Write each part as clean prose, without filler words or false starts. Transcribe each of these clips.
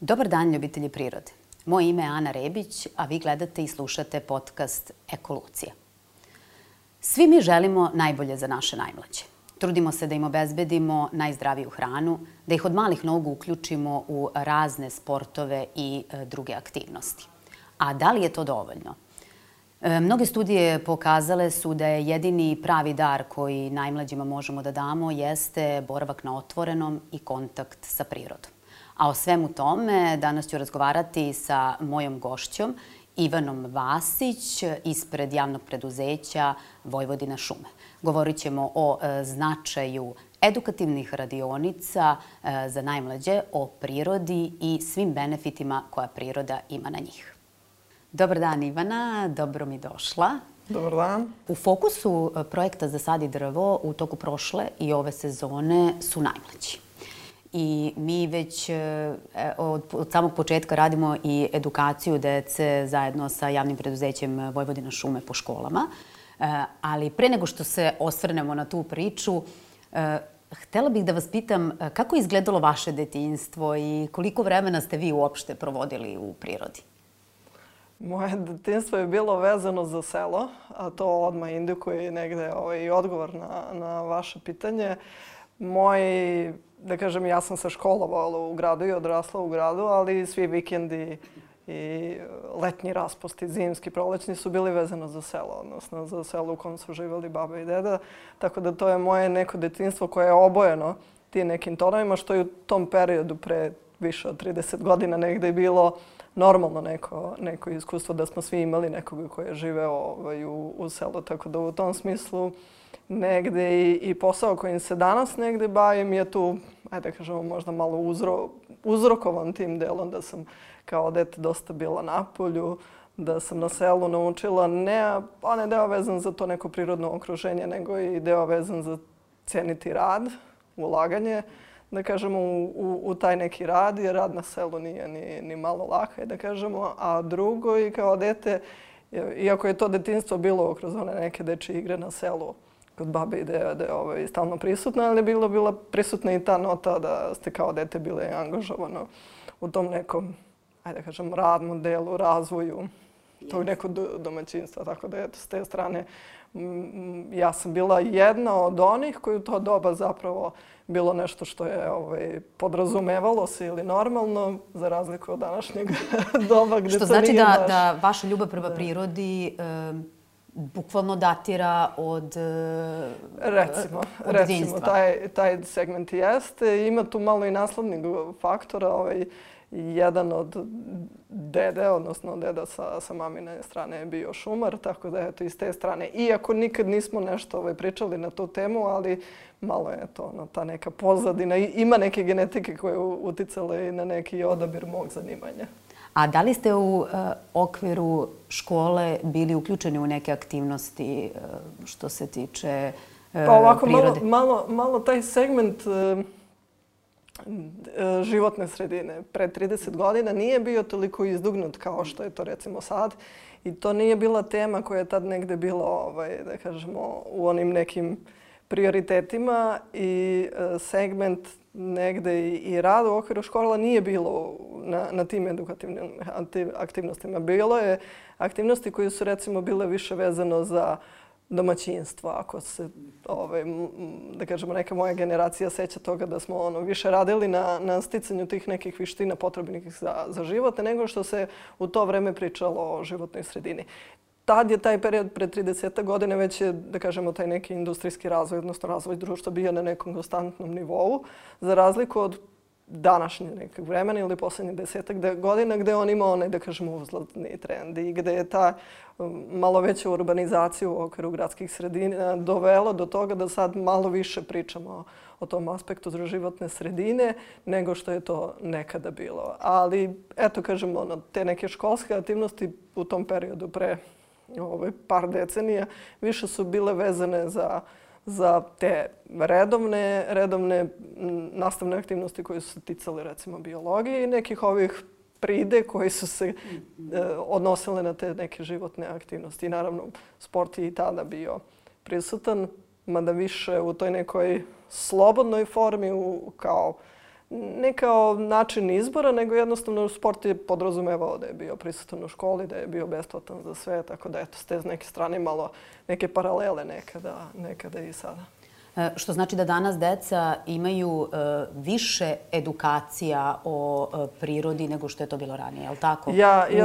Dobar dan, ljubitelji prirode. Moje ime je Ana Rebić, a vi gledate i slušate podcast Ekolucija. Svi mi želimo najbolje za naše najmlađe. Trudimo se da im obezbedimo najzdraviju hranu, da ih od malih nogu uključimo u razne sportove i druge aktivnosti. A da li je to dovoljno? Mnoge studije pokazale su da je jedini pravi dar koji najmlađima možemo da damo jeste boravak na otvorenom i kontakt sa prirodom. A o svemu tome danas ću razgovarati sa mojom gošćom Ivanom Vasić ispred javnog preduzeća Vojvodina šume. Govorit ćemo o značaju edukativnih radionica za najmlađe, o prirodi i svim benefitima koja priroda ima na njih. Dobar dan, Ivana, dobro mi došla. Dobar dan. U fokusu projekta Zasadi drvo u toku prošle i ove sezone su najmlađi. I mi već od samog početka radimo i edukaciju dece zajedno sa javnim preduzećem Vojvodina šume po školama. Ali pre nego što se osvrnemo na tu priču, htela bih da vas pitam kako je izgledalo vaše detinjstvo i koliko vremena ste vi uopšte provodili u prirodi? Moje detinjstvo je bilo vezano za selo, a to odmah indikuje negde i odgovor na vaše pitanje. Da kažem, ja sam se školovala u gradu i odrasla u gradu, ali svi vikendi i letnji raspusti, zimski, prolećni su bili vezano za selo, odnosno za selo u kom su živjeli baba i deda. Tako da to je moje neko detinjstvo koje je obojeno tim nekim tonovima, što je u tom periodu pre više od 30 godina negde je bilo normalno neko iskustvo da smo svi imali nekoga koji je živeo u selu. Tako da u tom smislu negde i posao kojim se danas negde bavim je tu, ajde da kažemo, možda malo uzrokovan tim delom da sam kao dete dosta bila na polju, da sam na selu naučila ne deo vezan za to neko prirodno okruženje, nego i deo vezan za ceniti rad, ulaganje, da kažemo, u taj neki rad, jer rad na selu nije ni malo laka, da kažemo. A drugo, i kao dete, iako je to detinjstvo bilo kroz one neke dečje igre na selu, kod babe i dede stalno prisutna, ali je bila prisutna i ta nota da ste kao dete bile angažovano u tom nekom, ajde da kažem, radnom delu, razvoju tog nekog domaćinstva. Tako da, eto, s te strane, ja sam bila jedna od onih koji u to doba zapravo bilo nešto što je podrazumevalo se ili normalno, za razliku od današnjeg doba gde to nije baš. Što znači da vaša ljubav prema prirodi bukvalno datira od Recimo, taj segment jeste. Ima tu malo i naslednog faktora. Jedan od dede, odnosno deda sa mamine strane je bio šumar, tako da eto iz te strane. Iako nikad nismo nešto pričali na tu temu, ali malo je to ta neka pozadina. Ima neke genetike koje uticale i na neki odabir mog zanimanja. A da li ste u okviru škole bili uključeni u neke aktivnosti što se tiče prirode? Pa ovako, malo taj segment životne sredine pre 30 godina nije bio toliko izdugnut kao što je to recimo sad. I to nije bila tema koja je tad negde bila, da kažemo, u onim nekim prioritetima i segment negde i rada u okviru škola nije bilo na tim edukativnim aktivnostima. Bilo je aktivnosti koje su recimo bile više vezano za domaćinstvo. Ako se, da kažemo, neka moja generacija seća toga da smo više radili na sticanju tih nekih vještina potrebnih za život, nego što se u to vreme pričalo o životnoj sredini. Tad je taj period pre 30 godina već je, da kažemo, taj neki industrijski razvoj, odnosno razvoj društva bio na nekom konstantnom nivou, za razliku od današnje nekog vremena ili poslednjih 10 godina gde on ima onaj, da kažemo, uzlazni trend i gde je ta malo veća urbanizacija u okviru gradskih sredina dovela do toga da sad malo više pričamo o tom aspektu za životne sredine nego što je to nekada bilo. Ali, eto, kažemo, te neke školske aktivnosti u tom periodu pre par decenija više su bile vezane za te redovne nastavne aktivnosti koje su se ticale recimo biologije i nekih ovih pride koji su se odnosile na te neke životne aktivnosti. I naravno, sport je i tada bio prisutan, mada više u toj nekoj slobodnoj formi kao ne kao način izbora, nego jednostavno sport je podrazumevao da je bio prisutan u školi, da je bio besplatan za sve, tako da eto, s te neke strane malo neke paralele nekada i sada. Što znači da danas deca imaju više edukacija o prirodi nego što je to bilo ranije, je li tako?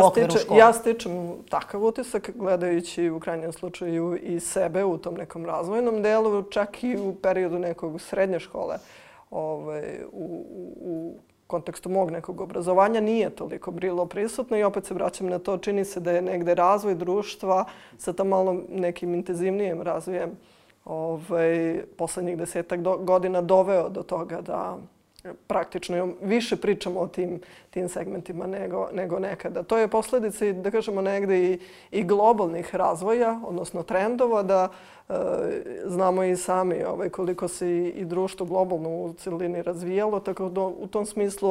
U okviru škole. Ja stičem takav utisak gledajući u krajnjem slučaju i sebe u tom nekom razvojnom delu, čak i u periodu nekog srednje škole. U kontekstu mog nekog obrazovanja nije toliko bilo prisutno i opet se vraćam na to. Čini se da je negde razvoj društva sa tam malo nekim intenzivnijim razvojem poslednjih 10 godina doveo do toga da praktično više pričamo o tim segmentima nego nekada. To je posledica, da kažemo, negde i globalnih razvoja, odnosno trendova, da znamo i sami koliko se i društvo globalno u celini razvijalo, tako da u tom smislu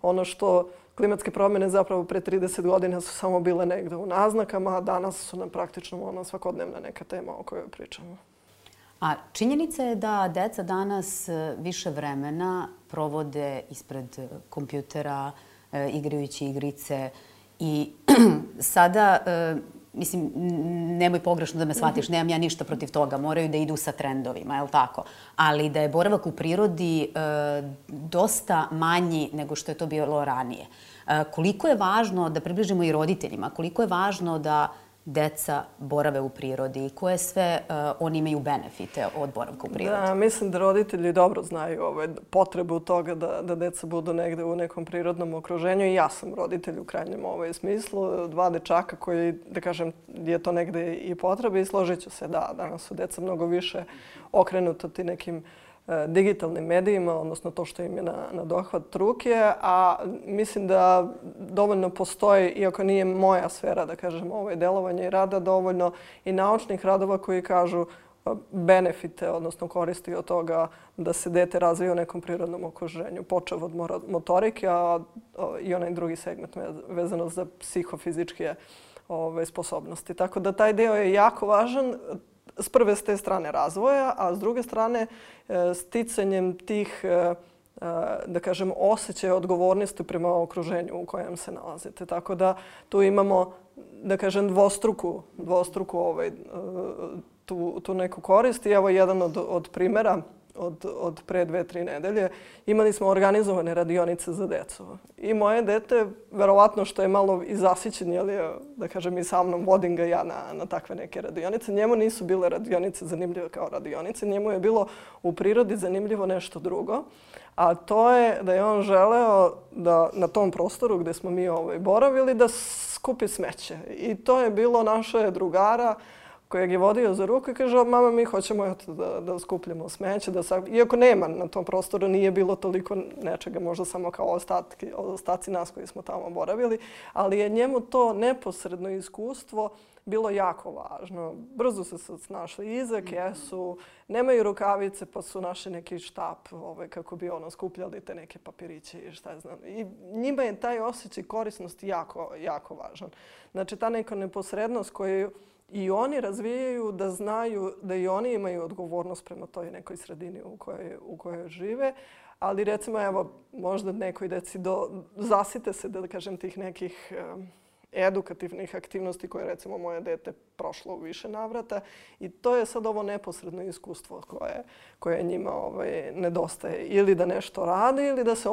ono što klimatske promjene zapravo pre 30 godina su samo bile negde u naznakama, a danas su nam praktično svakodnevna neka tema o kojoj pričamo. A činjenica je da deca danas više vremena provode ispred kompjutera, igrajući igrice i sada, mislim, nemoj pogrešno da me shvatiš, nemam ja ništa protiv toga, moraju da idu sa trendovima, je li tako? Ali da je boravak u prirodi dosta manji nego što je to bilo ranije. Koliko je važno da približimo i roditeljima, koliko je važno da deca borave u prirodi i koje sve oni imaju benefite od boravka u prirodi? Da, mislim da roditelji dobro znaju potrebu toga da deca budu negde u nekom prirodnom okruženju i ja sam roditelj u krajnjem smislu. 2 dečaka koji, da kažem, je to negde i potrebe i složit ću se da danas su deca mnogo više okrenuta ti nekim digitalnim medijima, odnosno to što im je na dohvat ruke, a mislim da dovoljno postoji, iako nije moja sfera, da kažem, delovanja i rada, dovoljno i naučnih radova koji kažu benefite, odnosno koristi od toga da se dete razvije u nekom prirodnom okruženju, počev od motorike, a i onaj drugi segment vezano za psihofizičke sposobnosti. Tako da taj deo je jako važan. S prve s te strane razvoja, a s druge strane sticanjem tih, da kažem, osjećaja odgovornosti prema okruženju u kojem se nalazite. Tako da tu imamo, da kažem, dvostruku tu neku korist. I evo jedan od primjera od pre 2-3 nedelje. Imali smo organizovane radionice za decu. I moje dete, verovatno što je malo i zasićen, da kažem, i sa mnom vodim ga ja na takve neke radionice. Njemu nisu bile radionice zanimljive kao radionice. Njemu je bilo u prirodi zanimljivo nešto drugo. A to je da je on želeo da na tom prostoru gde smo mi boravili da skupi smeće. I to je bilo naše drugara kojeg je vodio za ruku i kaže, mama, mi hoćemo da skupljamo smeće. Iako nema na tom prostoru, nije bilo toliko nečega, možda samo kao ostaci nas koji smo tamo boravili, ali je njemu to neposredno iskustvo bilo jako važno. Brzo se snašli iza kesu, nemaju rukavice pa su našli neki štap kako bi skupljali te neke papiriće i šta znam. I njima je taj osjećaj korisnosti jako, jako važan. Znači ta neka neposrednost koju i oni razvijaju da znaju da i oni imaju odgovornost prema toj nekoj sredini u kojoj žive. Ali recimo, evo, možda nekoj deci zasite se, da kažem, tih nekih edukativnih aktivnosti koje recimo moje dete prošlo u više navrata. I to je sad ovo neposredno iskustvo koje njima nedostaje. Ili da nešto rade ili da se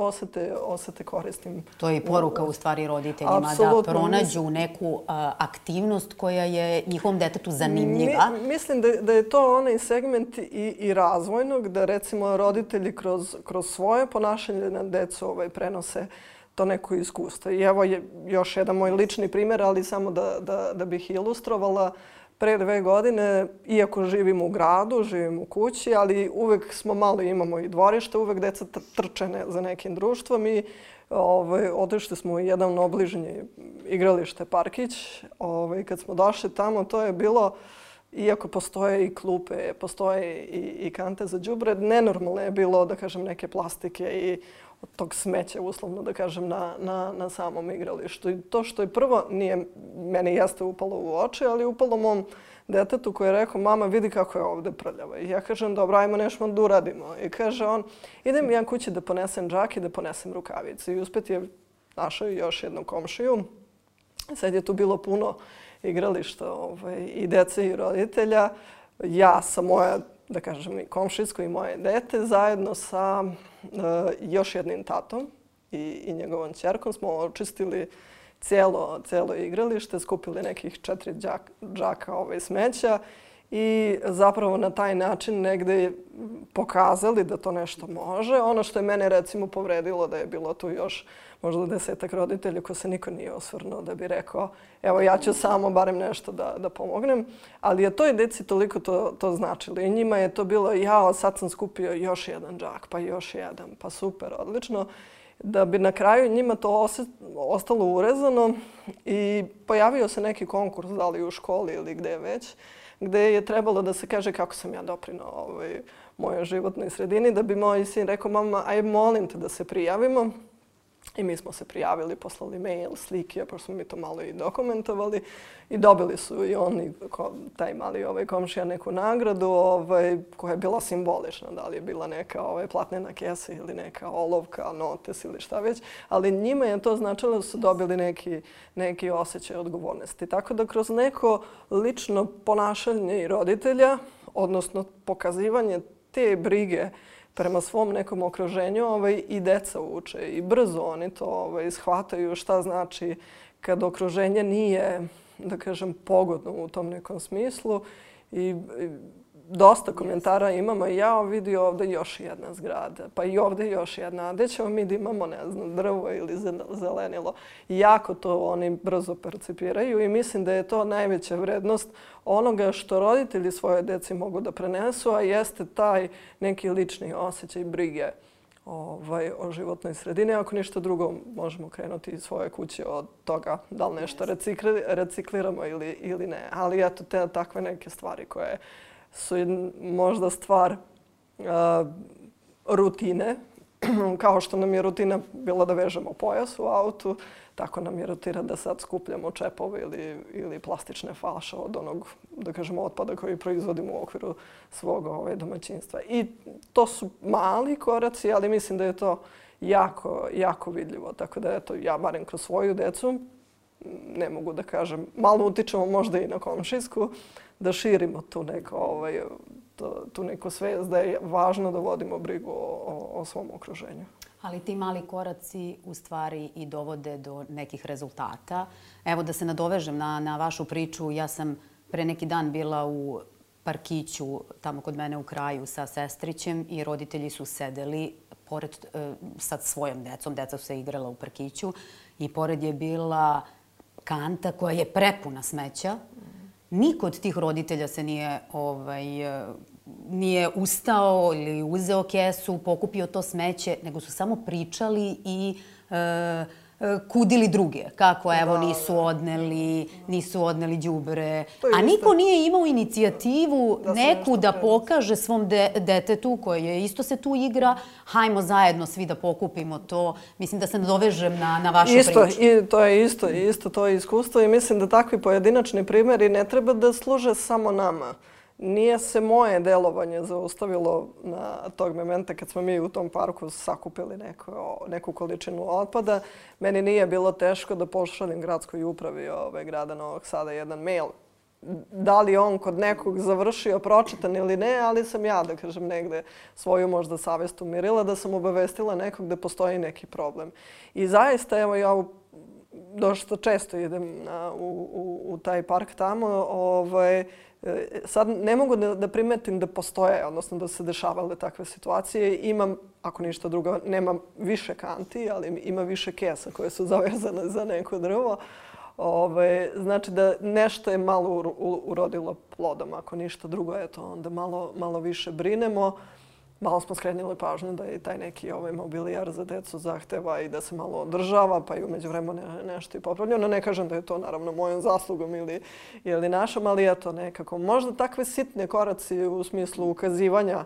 osete korisnim. To je i poruka u stvari roditeljima da pronađu neku aktivnost koja je njihovom detetu zanimljiva. Mislim da je to onaj segment i razvojnog, da recimo roditelji kroz svoje ponašanje na decu prenose to neko iskustvo. I evo je još jedan moj lični primjer, ali samo da bih ilustrovala. Pre 2 godine, iako živim u gradu, živim u kući, ali uvek smo malo imamo i dvorište, uvek deca trče za nekim društvom i otišli smo u jedan obližnji igralište, parkić. Kad smo došli tamo, to je bilo, iako postoje i klupe, postoje i kante za đubre, nenormalno je bilo, da kažem, neke plastike i tog smeća, uslovno da kažem, na samom igralištu. I to što je prvo, meni jeste upalo u oči, ali upalo mom detetu koji je rekao, mama vidi kako je ovde prljavo. I ja kažem, dobro, ajmo nešto da uradimo. I kaže on, idem ja kući da ponesem džak i da ponesem rukavice. I uspet je našao još jednu komšiju. Sad je tu bilo puno igrališta i dece i roditelja. Ja sa moja, da kažem, i komšijsko i moje dete zajedno sa još jednim tatom i njegovom ćerkom smo očistili cijelo igralište, skupili nekih 4 džaka smeća i zapravo na taj način negde pokazali da to nešto može. Ono što je mene recimo povredilo da je bilo tu još možda 10-ak roditelja ko se niko nije osvrnuo da bi rekao evo ja ću samo barem nešto da pomognem. Ali je toj deci toliko to značilo i njima je to bilo jao sad sam skupio još jedan džak pa još jedan pa super, odlično. Da bi na kraju njima to ostalo urezano i pojavio se neki konkurs, da li u školi ili gde već, gde je trebalo da se kaže kako sam ja doprinao mojoj životnoj sredini, da bi moj sin rekao, mama, aj molim te da se prijavimo. I mi smo se prijavili, poslali mail, slike, pošto smo mi to malo i dokumentovali. I dobili su i oni, taj mali komšija, neku nagradu koja je bila simbolična. Da li je bila neka platnena kesa ili neka olovka, notes ili šta već. Ali njima je to značilo da su dobili neki osjećaj odgovornosti. Tako da kroz neko lično ponašanje i roditelja, odnosno pokazivanje te brige prema svom nekom okruženju i deca uče i brzo oni to shvataju šta znači kad okruženje nije, da kažem, pogodno u tom nekom smislu. I dosta komentara imamo i ja vidi ovdje još jedna zgrada, pa i ovdje još jedna. A gdje ćemo mi da imamo, ne znam, drvo ili zelenilo? Jako to oni brzo percipiraju i mislim da je to najveća vrednost onoga što roditelji svoje deci mogu da prenesu, a jeste taj neki lični osjećaj brige o životnoj sredini. Ako ništa drugo, možemo krenuti iz svoje kuće od toga da li nešto recikliramo ili ne. Ali eto, takve neke stvari koje su možda stvar rutine. Kao što nam je rutina bila da vežemo pojas u autu, tako nam je rutina da sad skupljamo čepove ili plastične flaše od onog, da kažemo, otpada koji proizvodimo u okviru svog domaćinstva. I to su mali koraci, ali mislim da je to jako vidljivo. Tako da, eto, ja barem kroz svoju decu, ne mogu da kažem, malo utičemo možda i na komšijsku, da širimo tu neku svest da je važno da vodimo brigu o svom okruženju. Ali ti mali koraci u stvari i dovode do nekih rezultata. Evo da se nadovežem na vašu priču. Ja sam pre neki dan bila u parkiću tamo kod mene u kraju sa sestrićem i roditelji su sedeli pored sa svojom decom. Deca su se igrala u parkiću i pored je bila kanta koja je prepuna smeća. Niko od tih roditelja se nije ustao ili uzeo kesu, pokupio to smeće, nego su samo pričali i kudili druge. Kako, evo, nisu odneli đubre. A niko nije imao inicijativu neku da pokaže svom detetu koje isto se tu igra. Hajmo zajedno svi da pokupimo to. Mislim da se nadovežem na vašu priču. I to je isto to iskustvo i mislim da takvi pojedinačni primjeri ne treba da služe samo nama. Nije se moje delovanje zaustavilo na tog momenta kad smo mi u tom parku sakupili neku količinu otpada. Meni nije bilo teško da pošaljem gradskoj upravi grada Novog Sada jedan mail. Da li on kod nekog završio, pročitan ili ne, ali sam ja, da kažem, negde svoju možda savest umirila, da sam obavestila nekog da postoji neki problem. I zaista, evo, ja dosta često idem u taj park tamo, sad ne mogu da primetim da postoje, odnosno da se dešavale takve situacije. Imam, ako ništa drugo, nemam više kanti, ali ima više kesa koje su zavezane za neko drvo. Znači da nešto je malo urodilo plodom, ako ništa drugo, eto, onda malo više brinemo. Malo smo skrenuli pažnju da je taj neki mobilijar za decu zahteva i da se malo održava, pa i umeđu vremenu nešto i popravljeno. Ne kažem da je to naravno mojom zaslugom ili našom, ali eto nekako. Možda takve sitne koraci u smislu ukazivanja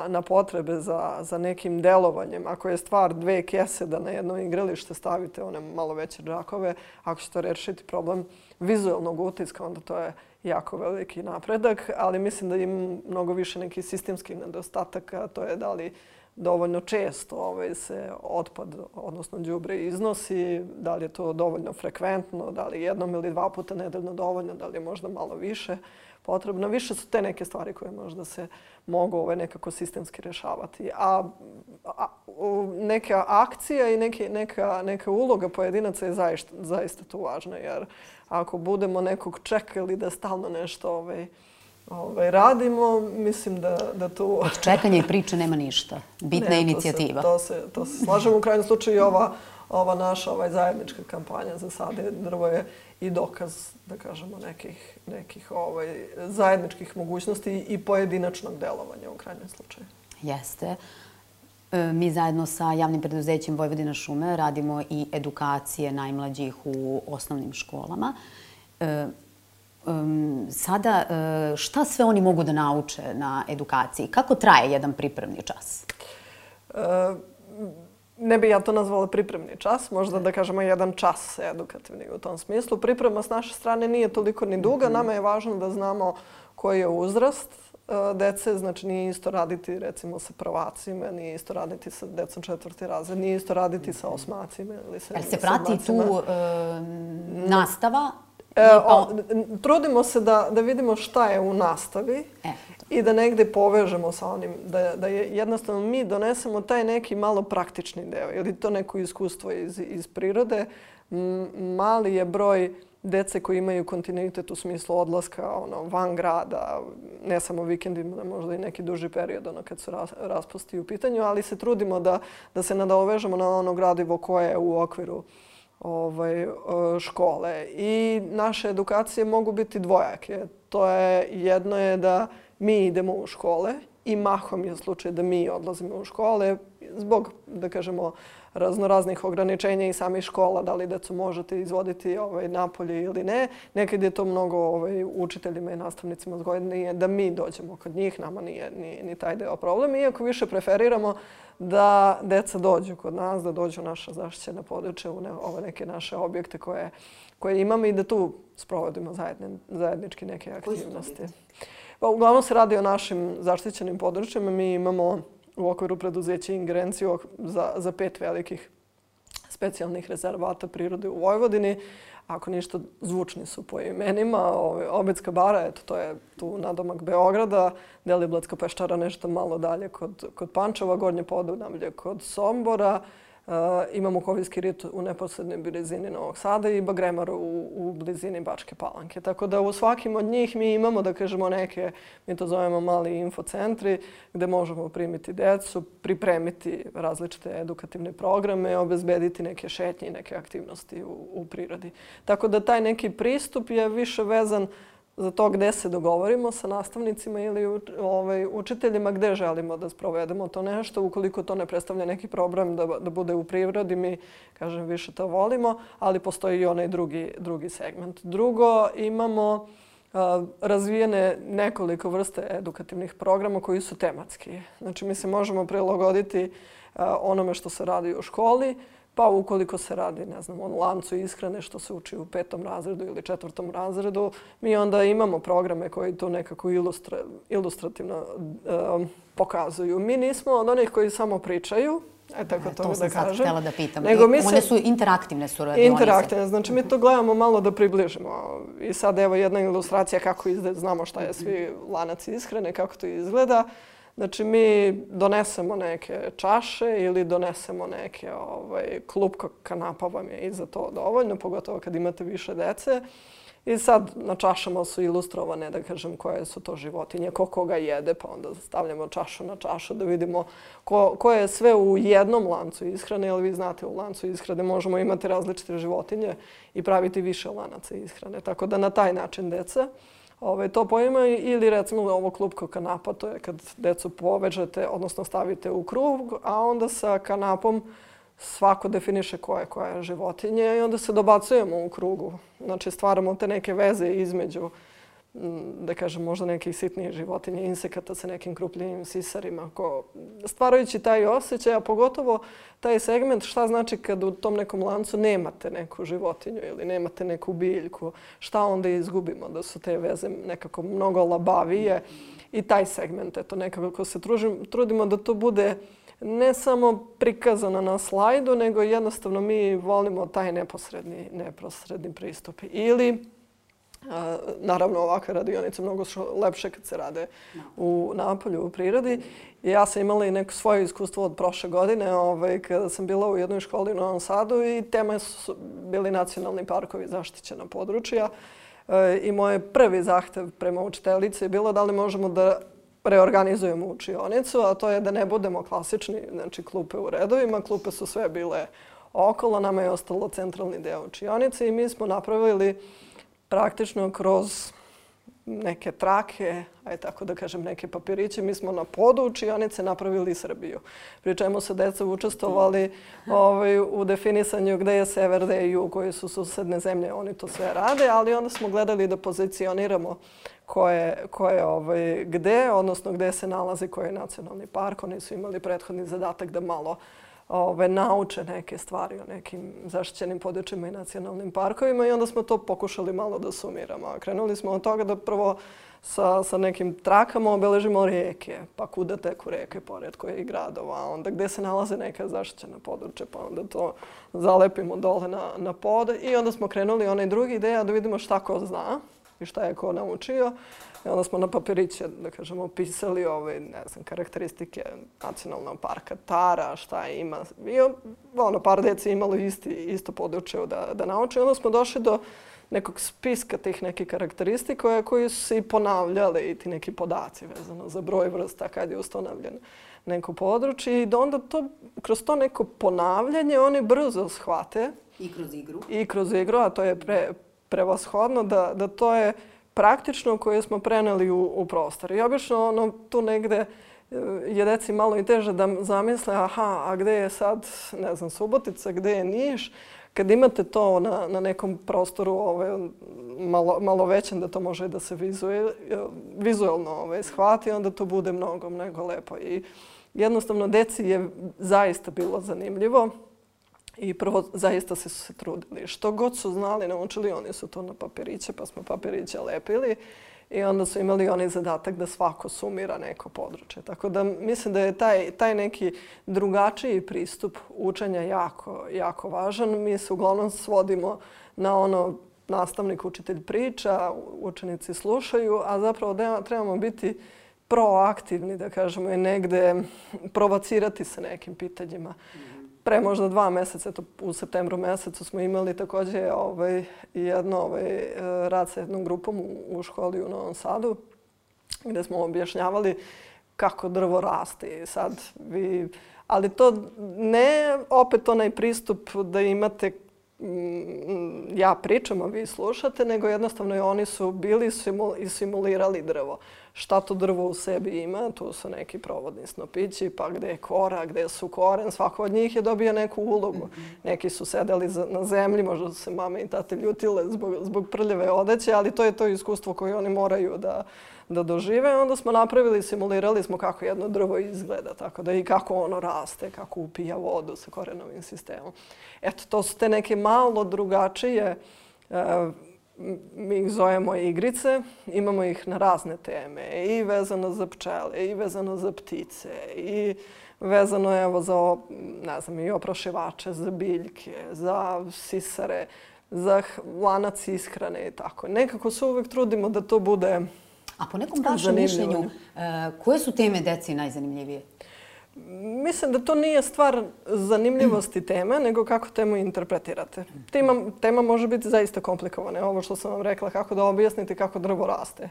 na potrebe za nekim delovanjem. Ako je stvar 2 kese da na jedno igralište stavite one malo veće džakove, ako će to rešiti problem vizualnog utiska, onda to je jako veliki napredak, ali mislim da ima mnogo više nekih sistemskih nedostataka. To je da li dovoljno često se otpad, odnosno đubre iznosi, da li je to dovoljno frekventno, da li jednom ili 2 puta nedeljno dovoljno, da li je možda malo više potrebno. Više su te neke stvari koje možda se mogu nekako sistemski rješavati. A neka akcija i neka uloga pojedinaca je zaista tu važna. Jer ako budemo nekog čekali da stalno nešto radimo, mislim da tu... Od čekanja i priče nema ništa. Bitna je inicijativa. To se slažemo. U krajnjem slučaju i ova naša zajednička kampanja za Sade drvo je i dokaz, da kažemo, nekih zajedničkih mogućnosti i pojedinačnog delovanja u krajnjem slučaju. Jeste. Mi zajedno sa javnim preduzećem Vojvodina šume radimo i edukacije najmlađih u osnovnim školama. Sada, šta sve oni mogu da nauče na edukaciji? Kako traje jedan pripremni čas? Ne bi ja to nazvala pripremni čas, možda da kažemo jedan čas edukativni u tom smislu. Priprema s naše strane nije toliko ni duga. Nama je važno da znamo koji je uzrast dece. Znači nije isto raditi recimo sa prvacima, nije isto raditi sa decom 4. razred, nije isto raditi sa osmacima ili sa sedmacima. Se prati tu nastava? Trudimo se da vidimo šta je u nastavi i da negde povežemo sa onim, da jednostavno mi donesemo taj neki malo praktični deo ili to neko iskustvo iz prirode. Mali je broj dece koji imaju kontinuitet u smislu odlaska van grada, ne samo vikendima, možda i neki duži period kad su raspusti u pitanju, ali se trudimo da se nadovežemo na ono gradivo koje je u okviru škole. I naše edukacije mogu biti dvojake. Jedno je da mi idemo u škole i mahom je slučaj da mi odlazimo u škole zbog, da kažemo, raznoraznih ograničenja i samih škola, da li decu možete izvoditi napolje ili ne. Nekad je to mnogo učiteljima i nastavnicima zgodnije da mi dođemo kod njih, nama nije ni taj deo problem. Iako više preferiramo da deca dođu kod nas, da dođu u naša zaštićena područja, u ove neke naše objekte koje imamo i da tu sprovodimo zajednički neke aktivnosti. Uglavnom se radi o našim zaštićenim područjima. Mi imamo u okviru preduzeća ingerenciju za 5 velikih specijalnih rezervata prirode u Vojvodini. Ako ništa, zvučni su po imenima. Obedska bara, to je tu nadomak Beograda, Deliblatska peščara nešto malo dalje kod Pančeva, Gornje Podunavlje kod Sombora. Imamo Kovijski rit u neposrednoj blizini Novog Sada i Bagremar u blizini Bačke Palanke. Tako da u svakim od njih mi imamo, da kažemo, neke, mi to zovemo mali infocentri, gde možemo primiti decu, pripremiti različite edukativne programe, obezbediti neke šetnje i neke aktivnosti u prirodi. Tako da taj neki pristup je više vezan za to gde se dogovorimo sa nastavnicima ili učiteljima gde želimo da sprovedemo to nešto. Ukoliko to ne predstavlja neki problem da bude u prirodi, mi, kažem, više to volimo, ali postoji i onaj drugi segment. Drugo, imamo razvijene nekoliko vrste edukativnih programa koji su tematski. Znači, mi se možemo prilagoditi onome što se radi u školi, pa ukoliko se radi, ne znam, o lancu ishrane što se uči u 5. razredu ili 4. razredu, mi onda imamo programe koji to nekako ilustrativno pokazuju. Mi nismo od onih koji samo pričaju, tako to da kažem. To sam sad htjela da pitam. One su interaktivne su radionice. Interaktivne, znači mi to gledamo malo da približimo. I sad evo jedna ilustracija kako znamo šta je svi lanac ishrane, kako to izgleda. Znači, mi donesemo neke čaše ili donesemo neke klupko kanapa vam je i za to dovoljno, pogotovo kad imate više dece. I sad na čašama su ilustrovane, da kažem, koje su to životinje, ko koga jede, pa onda stavljamo čašu na čašu da vidimo ko je sve u jednom lancu ishrane, jer vi znate u lancu ishrane možemo imati različite životinje i praviti više lanaca ishrane. Tako da na taj način deca to poimaju ili recimo ovo klupko kanapa, to je kad decu povežete, odnosno stavite u krug, a onda sa kanapom svako definiše koja je životinje i onda se dobacujemo u krugu. Znači stvaramo te neke veze između da kažem, možda nekih sitnijih životinja, insekata sa nekim krupljivim sisarima. Stvarajući taj osjećaj, a pogotovo taj segment šta znači kad u tom nekom lancu nemate neku životinju ili nemate neku biljku, šta onda izgubimo, da su te veze nekako mnogo labavije. I taj segment, eto, nekako se trudimo da to bude ne samo prikazano na slajdu, nego jednostavno mi volimo taj neposredni pristup. Ili, naravno, ovakve radionice mnogo su lepše kad se rade napolju, u prirodi. Ja sam imala i neko svoje iskustvo od prošle godine kada sam bila u jednoj školi u Novom Sadu i tema su bili nacionalni parkovi, zaštićena područja. I moj prvi zahtev prema učiteljici je bilo da li možemo da reorganizujemo učionicu, a to je da ne budemo klasični, znači klupe u redovima. Klupe su sve bile okolo, nama je ostalo centralni deo učionice i mi smo napravili praktično kroz neke trake, aj tako da kažem, neke papiriće. Mi smo na podu učionice napravili Srbiju. Pri čemu su deca učestvovali u definisanju gde je sever, gde je jug, koje su susedne zemlje. Oni to sve rade, ali onda smo gledali da pozicioniramo ko je gde, odnosno gde se nalazi koji je nacionalni park. Oni su imali prethodni zadatak da malo nauče neke stvari o nekim zaštićenim područjima i nacionalnim parkovima i onda smo to pokušali malo da sumiramo. Krenuli smo od toga da prvo sa nekim trakama obeležimo rijeke, pa kuda teku reke pored kojih gradova, onda gde se nalaze neka zaštićena područja, pa onda to zalepimo dole na pod i onda smo krenuli onaj drugi ideja da vidimo šta ko zna i šta je ko naučio. I onda smo na papiriće, da kažemo, pisali karakteristike nacionalnog parka Tara, šta ima. I par djece imalo isto područje da nauče. Onda smo došli do nekog spiska tih nekih karakteristika koji su se i ponavljali i ti neki podaci vezano za broj vrsta kad je ustanovljeno neko područje. I onda kroz to neko ponavljanje oni brzo shvate. I kroz igru, a to je prevashodno da to je praktično koje smo preneli u prostor. I obično tu negde je deci malo i teže da zamisle a gde je sad, ne znam, Subotica, gde je Niš. Kad imate to na nekom prostoru malo većem da to može da se vizualno shvati, onda to bude mnogo lepo. I jednostavno deci je zaista bilo zanimljivo. I prvo, zaista su se trudili. Što god su znali, naučili, oni su to na papiriće, pa smo papiriće lepili. I onda su imali oni zadatak da svako sumira neko područje. Tako da mislim da je taj neki drugačiji pristup učenja jako važan. Mi se uglavnom svodimo na ono nastavnik, učitelj priča, učenici slušaju, a zapravo trebamo biti proaktivni, da kažemo, i negde provocirati se nekim pitanjima. Pre možda 2 meseca, u septembru mesecu, smo imali također rad sa jednom grupom u školi u Novom Sadu, gdje smo objašnjavali kako drvo raste. Ali to ne opet onaj pristup da imate ja pričam, a vi slušate, nego jednostavno oni su bili i simulirali drvo. Šta to drvo u sebi ima, tu su neki provodni snopići, pa gde je kora, gde su koren, svako od njih je dobio neku ulogu. Neki su sedeli na zemlji, možda su se mame i tate ljutile zbog prljave odeće, ali to je to iskustvo koje oni moraju da dožive. Onda smo napravili, simulirali smo kako jedno drvo izgleda, tako da i kako ono raste, kako upija vodu sa korenovim sistemom. Eto, to su te neke malo drugačije, mi ih zovemo igrice, imamo ih na razne teme, i vezano za pčele, i vezano za ptice, i vezano za, ne znam, i oprašivače, za biljke, za sisare, za lanac ishrane i tako. Nekako se uvek trudimo da to bude zanimljivo. A po nekom vašem mišljenju, koje su teme deci najzanimljivije? Mislim da to nije stvar zanimljivosti teme, nego kako temu interpretirate. Tema može biti zaista komplikovana. Ovo što sam vam rekla, kako da objasnite kako drvo raste.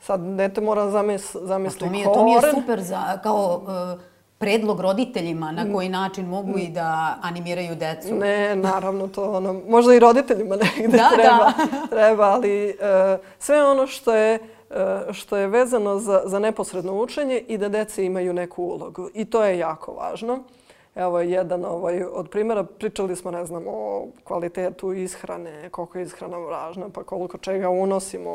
Sad, dete mora zamisli koren. To mi je super kao predlog roditeljima na koji način mogu i da animiraju decu. Ne, naravno, to možda i roditeljima negde treba, ali sve ono što je vezano za neposredno učenje i da dece imaju neku ulogu. I to je jako važno. Evo jedan od primjera. Pričali smo, ne znam, o kvalitetu ishrane, koliko je ishrana važna, pa koliko čega unosimo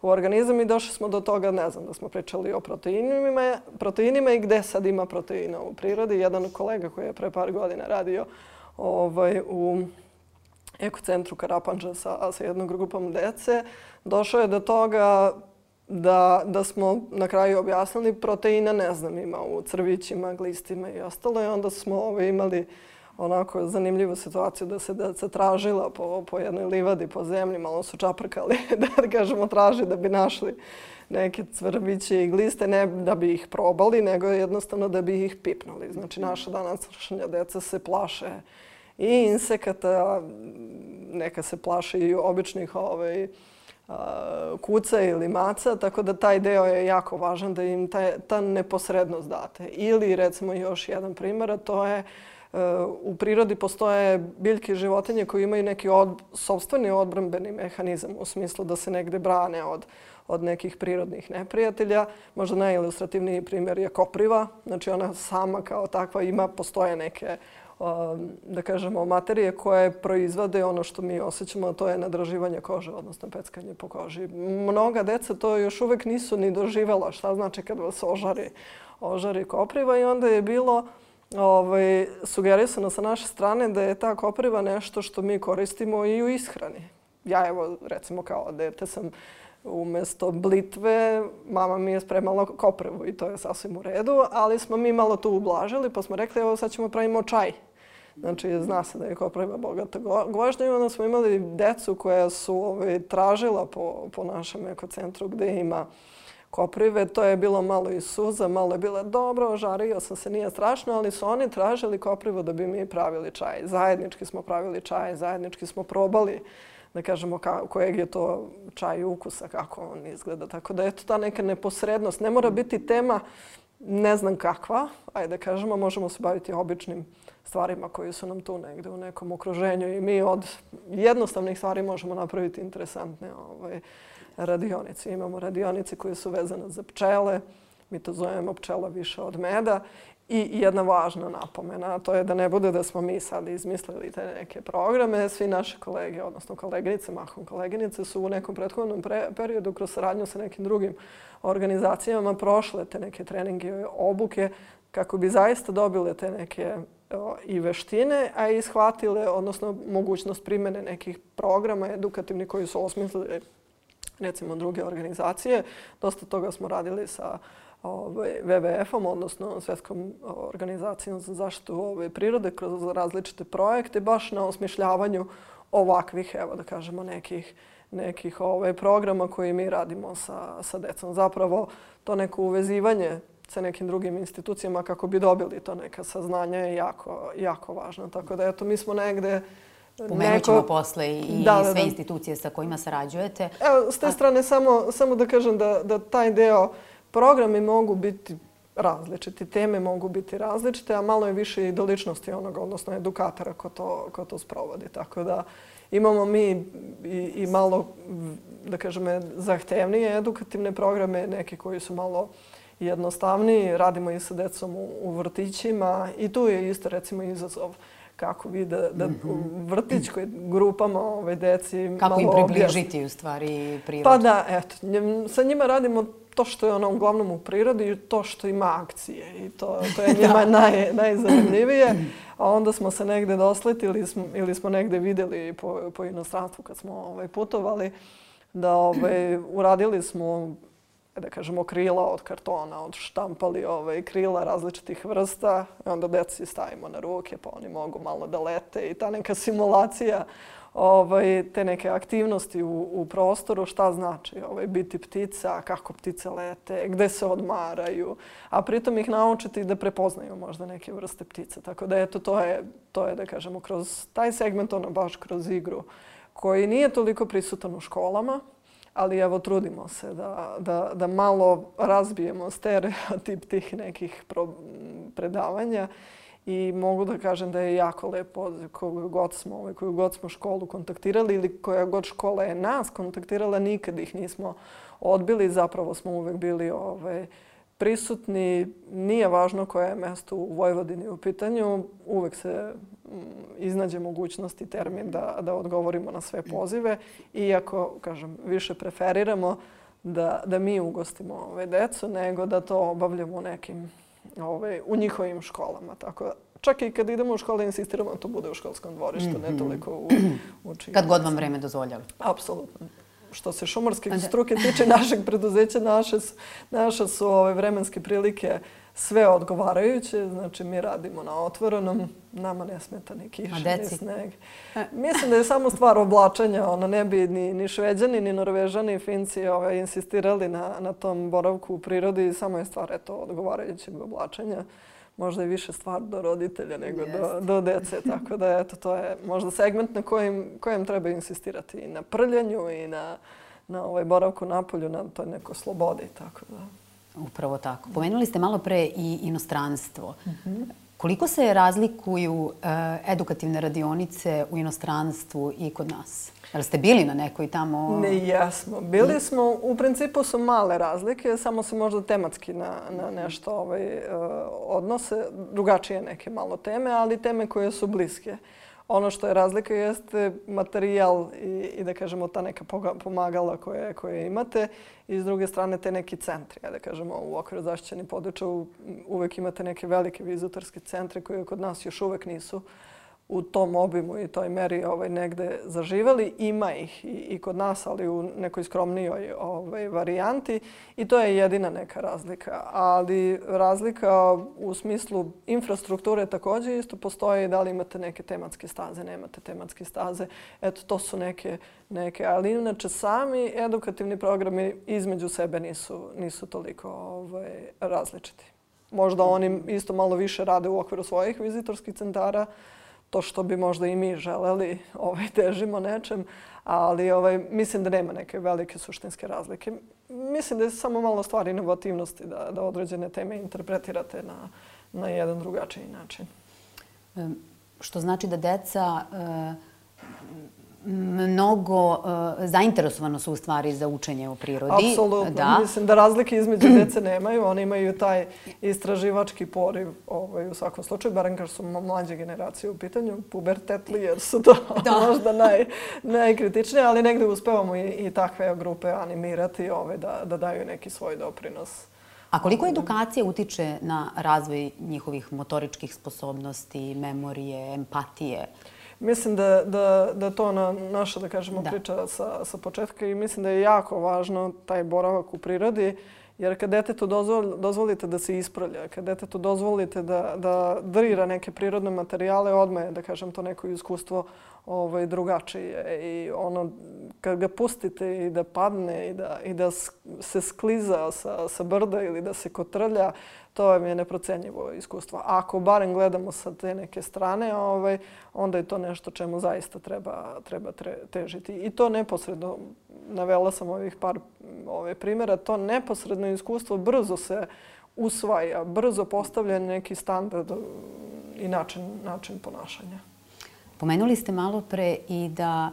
u organizam i došli smo do toga, ne znam, da smo pričali o proteinima i gde sad ima proteina u prirodi. Jedan kolega koji je pre par godina radio u ekocentru Karapanđa sa jednom grupom dece, došao je do toga da smo na kraju objasnili proteina, ne znam, ima u crvićima, glistima i ostalo. I onda smo imali onako zanimljivu situaciju da se deca tražila po jednoj livadi, po zemlji, malo su čaprkali, da kažemo, traži da bi našli neke crviće i gliste, ne da bi ih probali, nego jednostavno da bi ih pipnuli. Znači, naša današnja deca se plaše i insekata, neka se plaše i običnih kuca ili maca, tako da taj deo je jako važan da im ta neposrednost date. Ili recimo još jedan primjer, a to je u prirodi postoje biljke i životinje koji imaju neki sopstveni odbrambeni mehanizam u smislu da se negde brane od nekih prirodnih neprijatelja. Možda najilustrativniji primjer je kopriva. Znači ona sama kao takva postoje neke da kažemo, materije koje proizvode ono što mi osjećamo, a to je nadraživanje kože, odnosno peckanje po koži. Mnoga deca to još uvek nisu ni doživjela. Šta znači kad vas ožari kopriva? I onda je bilo sugerisano sa naše strane da je ta kopriva nešto što mi koristimo i u ishrani. Ja evo, recimo kao dete sam umjesto blitve, mama mi je spremala koprivu i to je sasvim u redu, ali smo mi malo tu ublažili pa smo rekli evo sad ćemo pravimo čaj. Znači zna se da je kopriva bogata gvožđem i onda smo imali decu koja su tražila po našem ekocentru gdje ima koprive. To je bilo malo i suza, malo je bilo dobro, ožario sam se, nije strašno, ali su oni tražili koprivu da bi mi pravili čaj. Zajednički smo pravili čaj, zajednički smo probali da kažemo kojeg je to čaj ukusa, kako on izgleda. Tako da eto ta neka neposrednost. Ne mora biti tema ne znam kakva, ajde da kažemo, možemo se baviti običnim stvarima koji su nam tu negde u nekom okruženju i mi od jednostavnih stvari možemo napraviti interesantne radionice. Imamo radionice koje su vezane za pčele, mi to zovemo pčela više od meda. I jedna važna napomena, a to je da ne bude da smo mi sad izmislili te neke programe. Svi naši kolege, odnosno koleginice, mahom koleginice, su u nekom prethodnom periodu kroz saradnju sa nekim drugim organizacijama prošle te neke treninge i obuke kako bi zaista dobile te neke i veštine, a i shvatile, odnosno mogućnost primjene nekih programa edukativnih koji su osmislili recimo druge organizacije. Dosta toga smo radili sa WWF-om, odnosno Svjetskom organizacijom za zaštitu prirode kroz različite projekte, baš na osmišljavanju ovakvih, evo da kažemo, nekih programa koje mi radimo sa decom. Zapravo to neko uvezivanje sa nekim drugim institucijama kako bi dobili to neka saznanja je jako važno. Tako da eto, mi smo negde... Pomenut ćemo posle i sve institucije sa kojima sarađujete. Evo, s te strane samo da kažem da taj deo programi mogu biti različiti, teme mogu biti različite, a malo je više i do ličnosti onoga, odnosno edukatora ko to sprovodi. Tako da imamo mi i malo, da kažem, zahtevnije edukativne programe, neki koji su malo jednostavniji. Radimo i sa decom u vrtićima i tu je isto recimo izazov kako vi da vrtićkoj grupama deci malo kako im približiti u stvari prirodu. Pa da, eto, sa njima radimo to što je ono uglavnom u prirodi i to što ima akcije. I to je njima najzanimljivije. A onda smo se negde dosletili ili smo negde vidjeli po inostranstvu kad smo putovali da uradili smo, da kažemo, krila od kartona, odštampali krila različitih vrsta. Onda deci stavimo na ruke pa oni mogu malo da lete i ta neka simulacija te neke aktivnosti u prostoru, šta znači biti ptica, kako ptice lete, gde se odmaraju, a pritom ih naučiti da prepoznaju možda neke vrste ptice. Tako da eto, to je da kažemo, kroz taj segment, ono baš kroz igru, koji nije toliko prisutan u školama, ali evo trudimo se da malo razbijemo stereotip tih nekih predavanja. I mogu da kažem da je jako lepo koju god smo školu kontaktirali ili koja god škola je nas kontaktirala, nikad ih nismo odbili. Zapravo smo uvek bili prisutni, nije važno koje je mesto u Vojvodini u pitanju, uvek se iznađe mogućnost i termin da odgovorimo na sve pozive. Iako, kažem, više preferiramo da mi ugostimo decu nego da to obavljamo u njihovim školama. Tako, čak i kad idemo u škole insistiramo da to bude u školskom dvorištu, ne toliko u učinju. Kad god vam vreme dozvoljava. Apsolutno. Što se šumarske struke tiče našeg preduzeća, naše su vremenske prilike sve odgovarajuće. Znači, mi radimo na otvorenom, nama ne smeta ni kiša, ni sneg. Mislim da je samo stvar oblačenja. Ne bi ni Šveđani, ni Norvežani, ni Finci insistirali na tom boravku u prirodi. Samo je stvar odgovarajućeg oblačenja. Možda je više stvar do roditelja nego do dece. Tako da, to je možda segment na kojem treba insistirati i na prljanju i na boravku napolju, na toj nekoj slobodi. Tako da. Upravo tako. Pomenuli ste malo pre i inostranstvo. Koliko se razlikuju edukativne radionice u inostranstvu i kod nas? Jel ste bili na nekoj tamo? Ne, jesmo. Bili smo, u principu su male razlike, samo se možda tematski na nešto odnose. Drugačije neke malo teme, ali teme koje su bliske. Ono što je razlika jeste materijal i da kažemo ta neka pomagala koje imate i s druge strane te neki centri. Da kažemo u okviru zaštićenih područja uvek imate neke velike vizitorske centre koje kod nas još uvek nisu u tom obimu i toj meri negde zaživeli. Ima ih i kod nas, ali u nekoj skromnijoj varijanti i to je jedina neka razlika. Ali razlika u smislu infrastrukture također isto postoji, da li imate neke tematske staze, nemate tematske staze. Eto, to su neke, ali inače sami edukativni programi između sebe nisu toliko različiti. Možda oni isto malo više rade u okviru svojih vizitorskih centara, to što bi možda i mi želeli, težimo nečem, ali mislim da nema neke velike suštinske razlike. Mislim da je samo malo stvar inovativnosti da određene teme interpretirate na jedan drugačiji način. Što znači da deca mnogo zainteresovano su u stvari za učenje o prirodi. Apsolutno. Mislim da razlike između dece nemaju. Oni imaju taj istraživački poriv u svakom slučaju, barem kad su mlađe generacije u pitanju, pubertetli, jer su to možda najkritičnije, ali negde uspevamo i takve grupe animirati da daju neki svoj doprinos. A koliko edukacija utiče na razvoj njihovih motoričkih sposobnosti, memorije, empatije? Mislim da to naša, da kažemo, priča sa početka i mislim da je jako važno taj boravak u prirodi, jer kad detetu dozvolite da se ispravlja, kad detetu dozvolite da drira neke prirodne materijale, odmah je, da kažem, to neko iskustvo drugačije. I kad ga pustite i da padne i da se skliza sa brda ili da se kotrlja, to je neprocenjivo iskustvo. Ako barem gledamo sa te neke strane, onda je to nešto čemu zaista treba težiti. I to neposredno, navela sam ovih par primjera, to neposredno iskustvo brzo se usvaja, brzo postavlja neki standard i način ponašanja. Pomenuli ste malo pre i da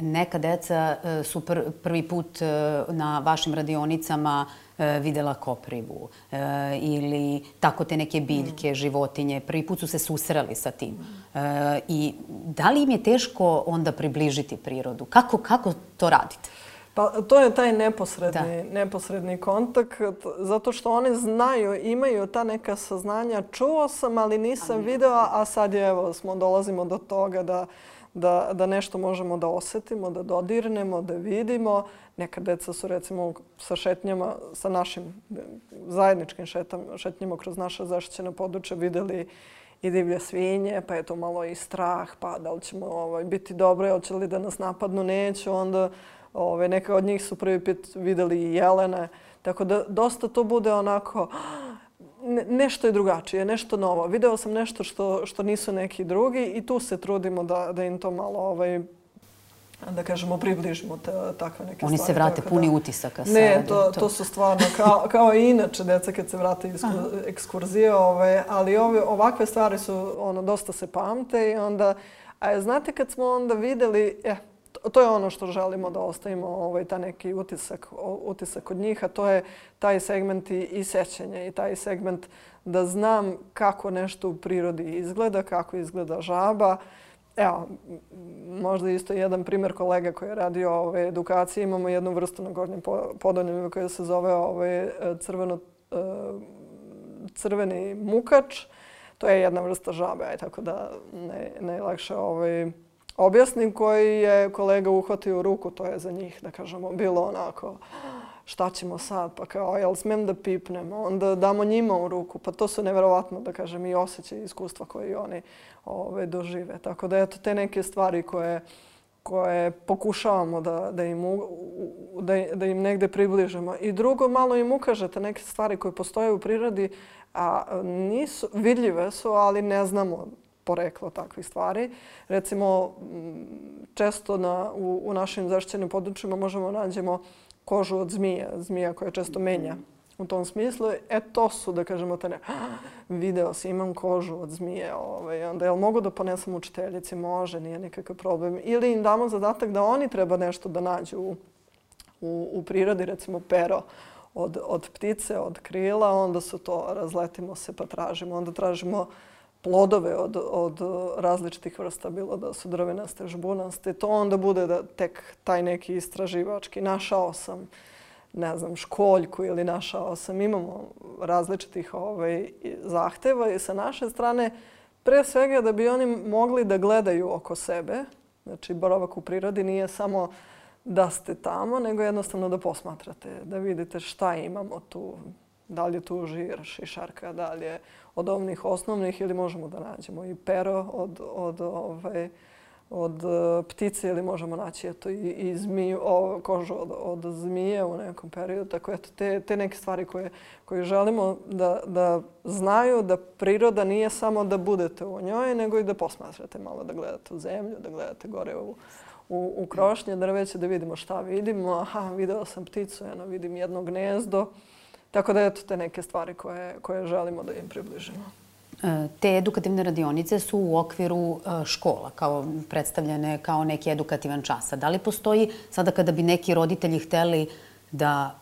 neka deca su prvi put na vašim radionicama videla koprivu ili tako te neke biljke, životinje. Prvi put su se susreli sa tim. I da li im je teško onda približiti prirodu? Kako to radite? Pa to je taj neposredni kontakt, zato što one znaju, imaju ta neka saznanja. Čuo sam, ali nisam video, a sad dolazimo do toga da nešto možemo da osetimo, da dodirnemo, da vidimo. Neka deca su recimo sa šetnjama, sa našim zajedničkim šetnjama kroz naša zaštićena područja videli i divlje svinje, pa je to malo i strah, pa da li ćemo biti dobre, hoće li da nas napadnu, neću, onda neka od njih su prvi put videli i jelene. Tako da dosta to bude onako, nešto je drugačije, nešto novo. Video sam nešto što nisu neki drugi i tu se trudimo da im to malo, da kažemo, približimo takve neke stvari. Oni se vrate puni utisaka. Ne, to su stvarno, kao i inače deca kad se vrate iz ekskurzije, ali ovakve stvari su, dosta se pamte i onda, a znate kad smo onda videli, to je ono što želimo da ostavimo, taj neki utisak od njih, a to je taj segment i sećanja i taj segment da znam kako nešto u prirodi izgleda, kako izgleda žaba. Evo, možda isto jedan primjer kolega koji je radio edukacije. Imamo jednu vrstu na Gornjem Podunavlju koja se zove crveni mukač. To je jedna vrsta žabe, tako da najlakše objasnim, koji je kolega uhvatio u ruku. To je za njih, da kažemo, bilo onako šta ćemo sad, pa kao jel smem da pipnemo, onda damo njima u ruku. Pa to su nevjerovatno, da kažem, i osjećaj i iskustva koje oni dožive. Tako da eto te neke stvari koje pokušavamo da im negde približimo. I drugo, malo im ukažete neke stvari koje postoje u prirodi, a nisu vidljive su, ali ne znamo poreklo takvih stvari. Recimo, često u našim zaštićenim područjima možemo nađemo kožu od zmija koja često menja u tom smislu. To su, da kažemo, video si, imam kožu od zmije. Onda jel mogu da ponesem učiteljici? Može, nije nikakav problem. Ili im damo zadatak da oni treba nešto da nađu u prirodi, recimo pero od ptice, od krila, onda su to, razletimo se pa tražimo. Onda tražimo plodove od različitih vrsta, bilo da su drvenaste, žbunaste. To onda bude da tek taj neki istraživački. Našao sam, ne znam, školjku ili našao sam. Imamo različitih zahteva i sa naše strane pre svega da bi oni mogli da gledaju oko sebe. Znači, boravak u prirodi nije samo da ste tamo, nego jednostavno da posmatrate, da vidite šta imamo tu. Da li je tu žir, šišarka, da li je od ovnih osnovnih ili možemo da nađemo i pero od ptice ili možemo naći i kožu od zmije u nekom periodu. Tako eto, te neke stvari koje želimo da znaju da priroda nije samo da budete u njoj, nego i da posmatrate malo, da gledate u zemlju, da gledate gore u krošnje drveće, da vidimo šta vidimo. Aha, video sam pticu, vidim jedno gnezdo. Tako da eto te neke stvari koje želimo da im približimo. Te edukativne radionice su u okviru škola, predstavljene kao neki edukativan čas. Da li postoji, sada kada bi neki roditelji hteli da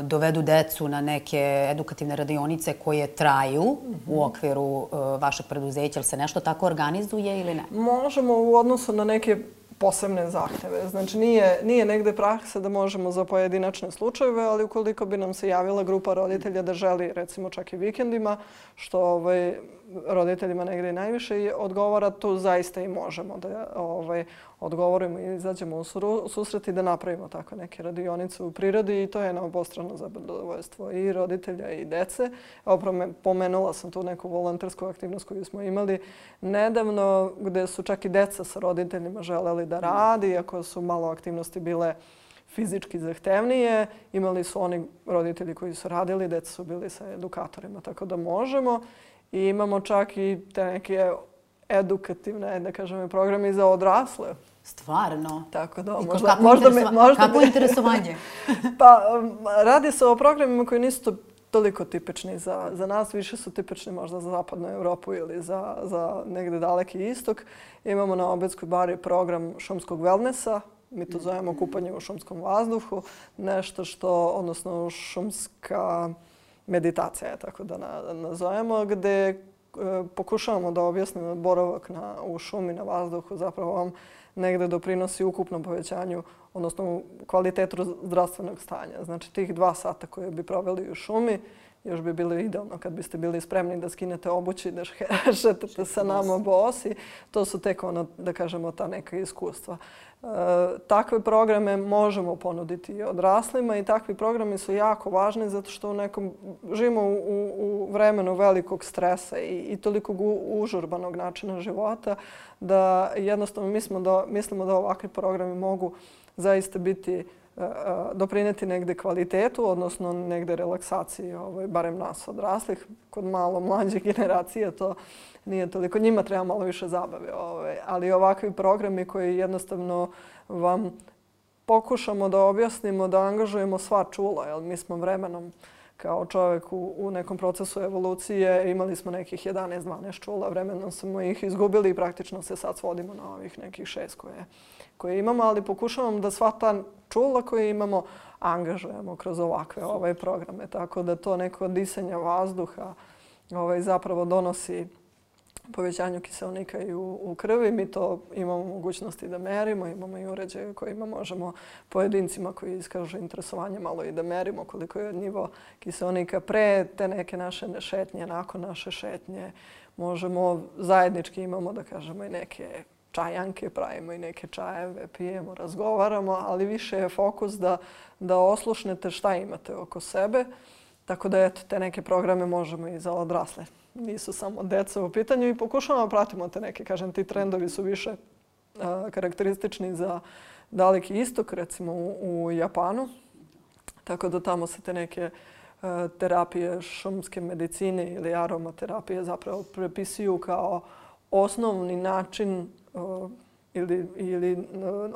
dovedu decu na neke edukativne radionice koje traju u okviru vašeg preduzeća, ili se nešto tako organizuje ili ne? Možemo u odnosu na neke posebne zahteve. Znači, nije negde praksa da možemo za pojedinačne slučajeve, ali ukoliko bi nam se javila grupa roditelja da želi, recimo čak i vikendima, što roditeljima negde i najviše odgovara, tu zaista i možemo da odgovorimo i izađemo u susret i da napravimo tako neke radionice u prirodi i to je na obostrano zadovoljstvo i roditelja i dece. Pomenula sam tu neku volontersku aktivnost koju smo imali nedavno, gde su čak i deca sa roditeljima želeli da radi, iako su malo aktivnosti bile fizički zahtevnije. Imali su oni roditelji koji su radili, deca su bili sa edukatorima, tako da možemo. I imamo čak i te neke edukativne, da kažem, programe za odrasle. Stvarno? Tako da, Kako interesovanje? Pa, radi se o programima koji nisu toliko tipični za nas. Više su tipični možda za zapadnu Evropu ili za negde daleki istok. Imamo na Obedskoj bari program šumskog wellnessa. Mi to zovemo kupanje u šumskom vazduhu. Nešto odnosno šumska meditacija, tako da nazovemo, gde pokušavamo da objasnimo boravak u šumi, na vazduhu, zapravo vam negde doprinosi ukupnom povećanju, odnosno kvalitetu zdravstvenog stanja. Znači, tih 2 sata koje bi proveli u šumi, još bi bilo idealno kad biste bili spremni da skinete obuću i da šetate sa nama bosi. To su tek da kažemo, ta neka iskustva. Takve programe možemo ponuditi i odraslima i takvi programi su jako važni zato što živimo u vremenu velikog stresa i tolikog užurbanog načina života da jednostavno mislimo da ovakvi programi mogu zaista doprineti negde kvalitetu, odnosno negde relaksaciji, barem nas odraslih. Kod malo mlađe generacije to nije toliko. Njima treba malo više zabave. Ali ovakvi programi koji jednostavno vam pokušamo da objasnimo, da angažujemo sva čula, jer mi smo vremenom kao čovjek u nekom procesu evolucije imali smo nekih 11-12 čula, vremenom smo ih izgubili i praktično se sad svodimo na ovih nekih 6 koje imamo, ali pokušavamo da sva ta čula koje imamo angažujemo kroz ovakve programe, tako da to neko disanje vazduha zapravo donosi povećanju kiseonika i u krvi. Mi to imamo mogućnosti da merimo, imamo i uređaje kojima možemo pojedincima koji iskažu interesovanje malo i da merimo koliko je nivo kiseonika pre te neke naše šetnje, nakon naše šetnje. Možemo zajednički imamo da kažemo i neke čajanke, pravimo i neke čajeve, pijemo, razgovaramo, ali više je fokus da oslušnete šta imate oko sebe. Tako da eto, te neke programe možemo i za odrasle. Nisu samo deca u pitanju i pokušavamo da pratimo te neke, kažem, ti trendovi su više karakteristični za Daleki istok, recimo u Japanu. Tako da tamo se te neke terapije šumske medicine ili aromaterapije zapravo prepisuju kao osnovni način ili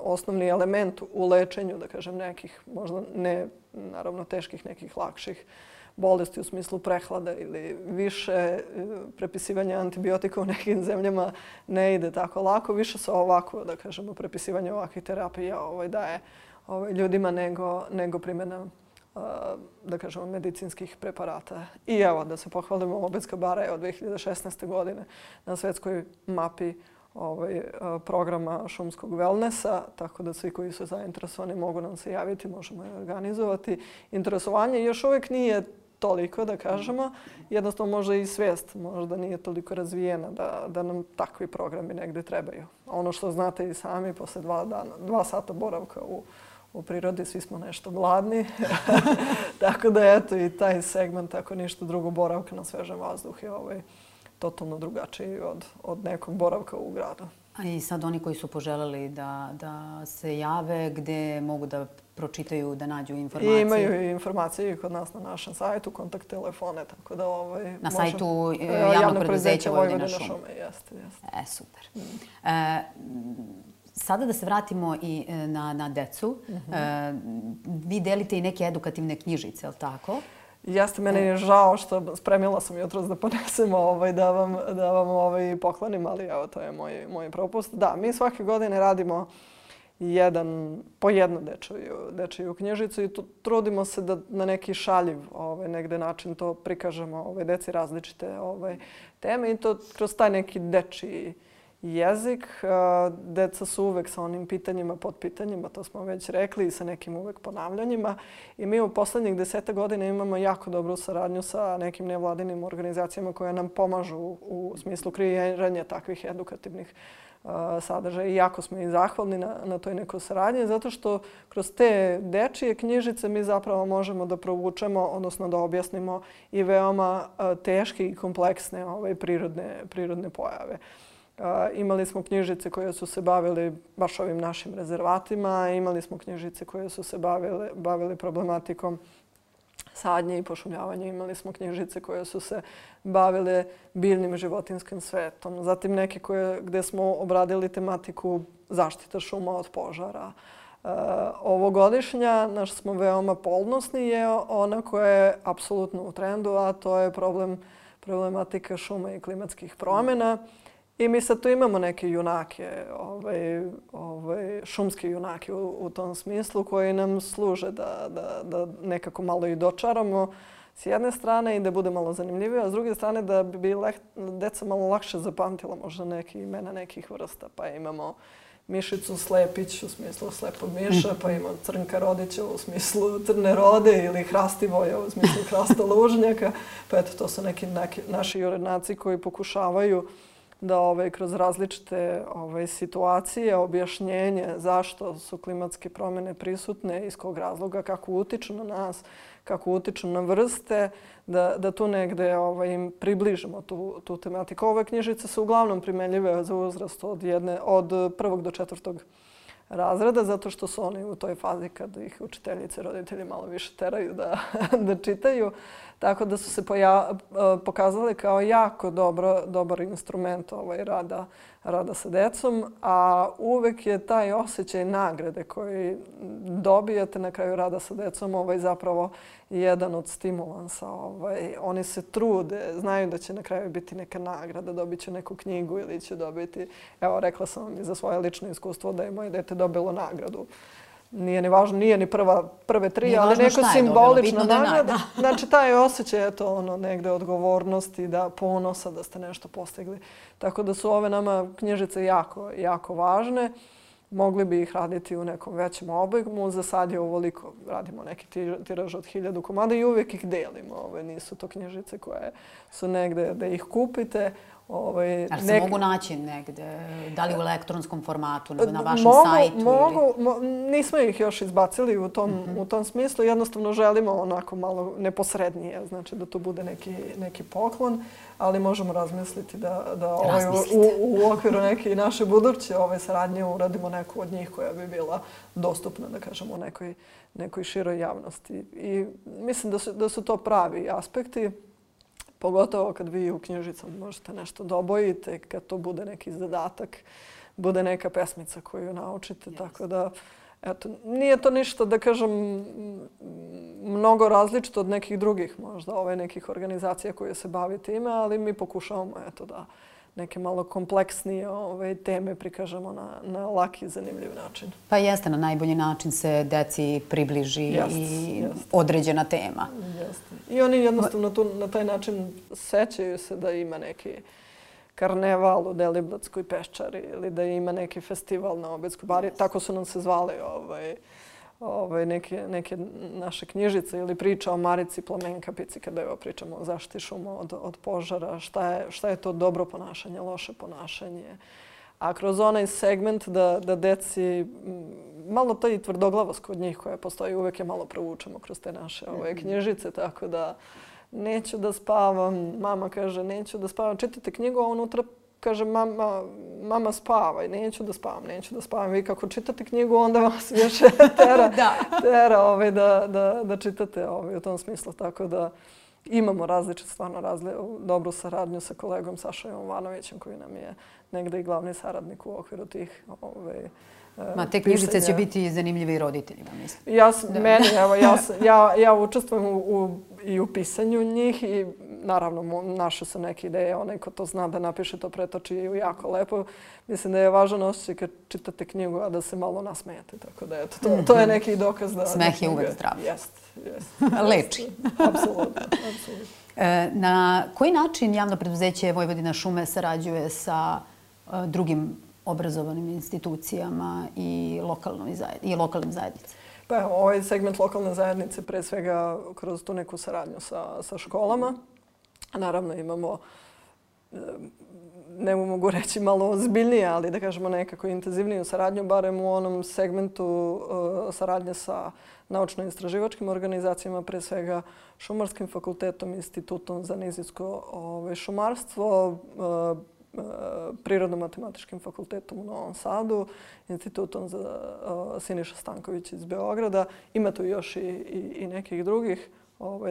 osnovni element u lečenju, da kažem, nekih, možda ne naravno teških, nekih lakših bolesti u smislu prehlada ili više prepisivanja antibiotika u nekim zemljama ne ide tako lako. Više se ovako, da kažemo, prepisivanje ovakvih terapija daje ljudima nego primjena, da kažemo, medicinskih preparata. I evo, da se pohvalimo, Obedska bara je od 2016. godine na svetskoj mapi programa šumskog wellnessa, tako da svi koji su zainteresovani mogu nam se javiti, možemo je organizovati. Interesovanje još uvijek nije toliko, da kažemo. Jednostavno možda i svijest možda nije toliko razvijena da nam takvi programi negdje trebaju. Ono što znate i sami, posle 2 sata boravka u prirodi, svi smo nešto gladni. Tako da eto i taj segment, ako ništa drugo, boravka na svežem vazduhu je totalno drugačiji od nekog boravka u gradu. A i sad oni koji su poželeli da se jave, gde mogu da pročitaju, da nađu informacije? Imaju i informacije kod nas na našem sajtu, kontakt telefone, tako da na sajtu javnog preduzeća Vojvodina šume. Jeste. Super. Sada da se vratimo i na decu. Vi delite i neke edukativne knjižice, je li tako? Jeste, meni je žao što spremila sam jutros da ponesemo da vam poklonim, ali evo, to je moj propust. Da, mi svake godine radimo po jednu dečiju knjižicu i trudimo se da na neki šaljiv negde način to prikažemo deci različite teme i to kroz taj neki dečiji jezik. Deca su uvek sa onim pitanjima, podpitanjima, to smo već rekli, i sa nekim uvek ponavljanjima. I mi u poslednjih 10 godina imamo jako dobru saradnju sa nekim nevladinim organizacijama koje nam pomažu u smislu kreiranja takvih edukativnih sadržaja. I jako smo i zahvalni na toj nekoj saradnji, zato što kroz te dečije knjižice mi zapravo možemo da provučemo, odnosno da objasnimo i veoma teške i kompleksne prirodne pojave. Imali smo knjižice koje su se bavili baš ovim našim rezervatima, imali smo knjižice koje su se bavili problematikom sadnje i pošumljavanja, imali smo knjižice koje su se bavile biljnim i životinskim svetom, zatim neke gde smo obradili tematiku zaštita šuma od požara. Ovogodišnja, naš smo veoma ponosni, je ona koja je apsolutno u trendu, a to je problematika šuma i klimatskih promjena. I mi sad tu imamo neke junake, šumske junake u tom smislu, koji nam služe da nekako malo i dočaramo s jedne strane i da bude malo zanimljivije, a s druge strane da bi deca malo lakše zapamtila možda neke imena nekih vrsta. Pa imamo mišicu Slepić u smislu slepog miša, pa imamo Crnka Rodića u smislu Crne Rode ili Hrastivoja u smislu Hrasta Lužnjaka. Pa eto, to su neki naši jurenaci koji pokušavaju da kroz različite situacije, objašnjenje zašto su klimatske promjene prisutne, iz kog razloga, kako utiču na nas, kako utiču na vrste, da tu negde im približimo tu tematiku. Ove knjižice su uglavnom primenljive za uzrast od 1. do 4. razreda, zato što su oni u toj fazi kad ih učiteljice, roditelji malo više teraju da čitaju. Tako da su se pokazali kao jako dobar instrument rada sa decom, a uvek je taj osjećaj nagrade koji dobijate na kraju rada sa decom zapravo jedan od stimulansa. Oni se trude, znaju da će na kraju biti neka nagrada, dobit će neku knjigu ili će dobiti... Evo, rekla sam vam i za svoje lično iskustvo da je moje dete dobilo nagradu. Nije ni važno, nije ni prve tri, ali neko simbolična nagrada. Znači, taj osjećaj, negde odgovornosti, da ponosa da ste nešto postigli. Tako da su ove nama knjižice jako važne. Mogli bi ih raditi u nekom većem obimu. Za sad je ovoliko. Radimo neki tiraž od 1000 komada i uvijek ih delimo. Nisu to knjižice koje su negde da ih kupite. Ali se mogu naći negde? Da li u elektronskom formatu, na vašem sajtu? Nismo ih još izbacili u tom smislu. Jednostavno želimo onako malo neposrednije. Znači da to bude neki poklon. Ali možemo razmisliti da u okviru neke naše buduće saradnje uradimo neku od njih koja bi bila dostupna, da kažemo, nekoj široj javnosti. I mislim da su to pravi aspekti. Pogotovo kad vi u knjižicama možete nešto da obojite, kad to bude neki zadatak, bude neka pesmica koju naučite. Tako da, eto, nije to ništa, da kažem, mnogo različito od nekih drugih možda, nekih organizacija koje se bavi time, ali mi pokušavamo, eto, da neke malo kompleksnije teme prikažemo na laki i zanimljiv način. Pa jeste, na najbolji način se deci približi i određena tema. Jeste. I oni jednostavno tu na taj način sećaju se da ima neki karneval u Deliblatskoj peščari ili da ima neki festival na Obedskoj bari. Tako su nam se zvali neke naše knjižice ili priča o Marici Plamenkapici, kada pričamo o zaštiti šuma od požara, šta je to dobro ponašanje, loše ponašanje. A kroz onaj segment da deci, malo to i tvrdoglavost kod njih koja postoji, uvek je malo provučemo kroz te naše knjižice, tako da neću da spavam, mama kaže neću da spavam, čitate knjigu, a unutra kaže mama spavaj, neću da spavam. Vi kako čitate knjigu, onda vas više tera da čitate u tom smislu. Tako da imamo dobru saradnju sa kolegom Sašom Jovanovićem koji nam je negde i glavni saradnik u okviru tih te knjižice će biti zanimljive i roditeljima, mislim. Ja učestvujem i u pisanju njih i naravno naše su neke ideje. Onaj ko to zna da napiše, to pretoči i jako lepo. Mislim da je važan osjećaj kad čitate knjigu, a da se malo nasmejete. Tako da to je neki dokaz da... Smeh je uvek zdrav. Jeste. Leči. Apsolutno. Na koji način javno preduzeće Vojvodina šume sarađuje sa drugim obrazovanim institucijama i lokalnim zajednicama? Pa evo, ovaj segment lokalne zajednice pre svega kroz tu neku saradnju sa školama. Naravno imamo, ne mogu reći malo ozbiljnije, ali da kažemo nekako intenzivniju saradnju, barem u onom segmentu saradnje sa naučno-istraživačkim organizacijama, pre svega Šumarskim fakultetom, Institutom za nizijsko šumarstvo, Prirodno-matematičkim fakultetom u Novom Sadu, Institutom za Siniša Stanković iz Beograda. Ima tu još i nekih drugih,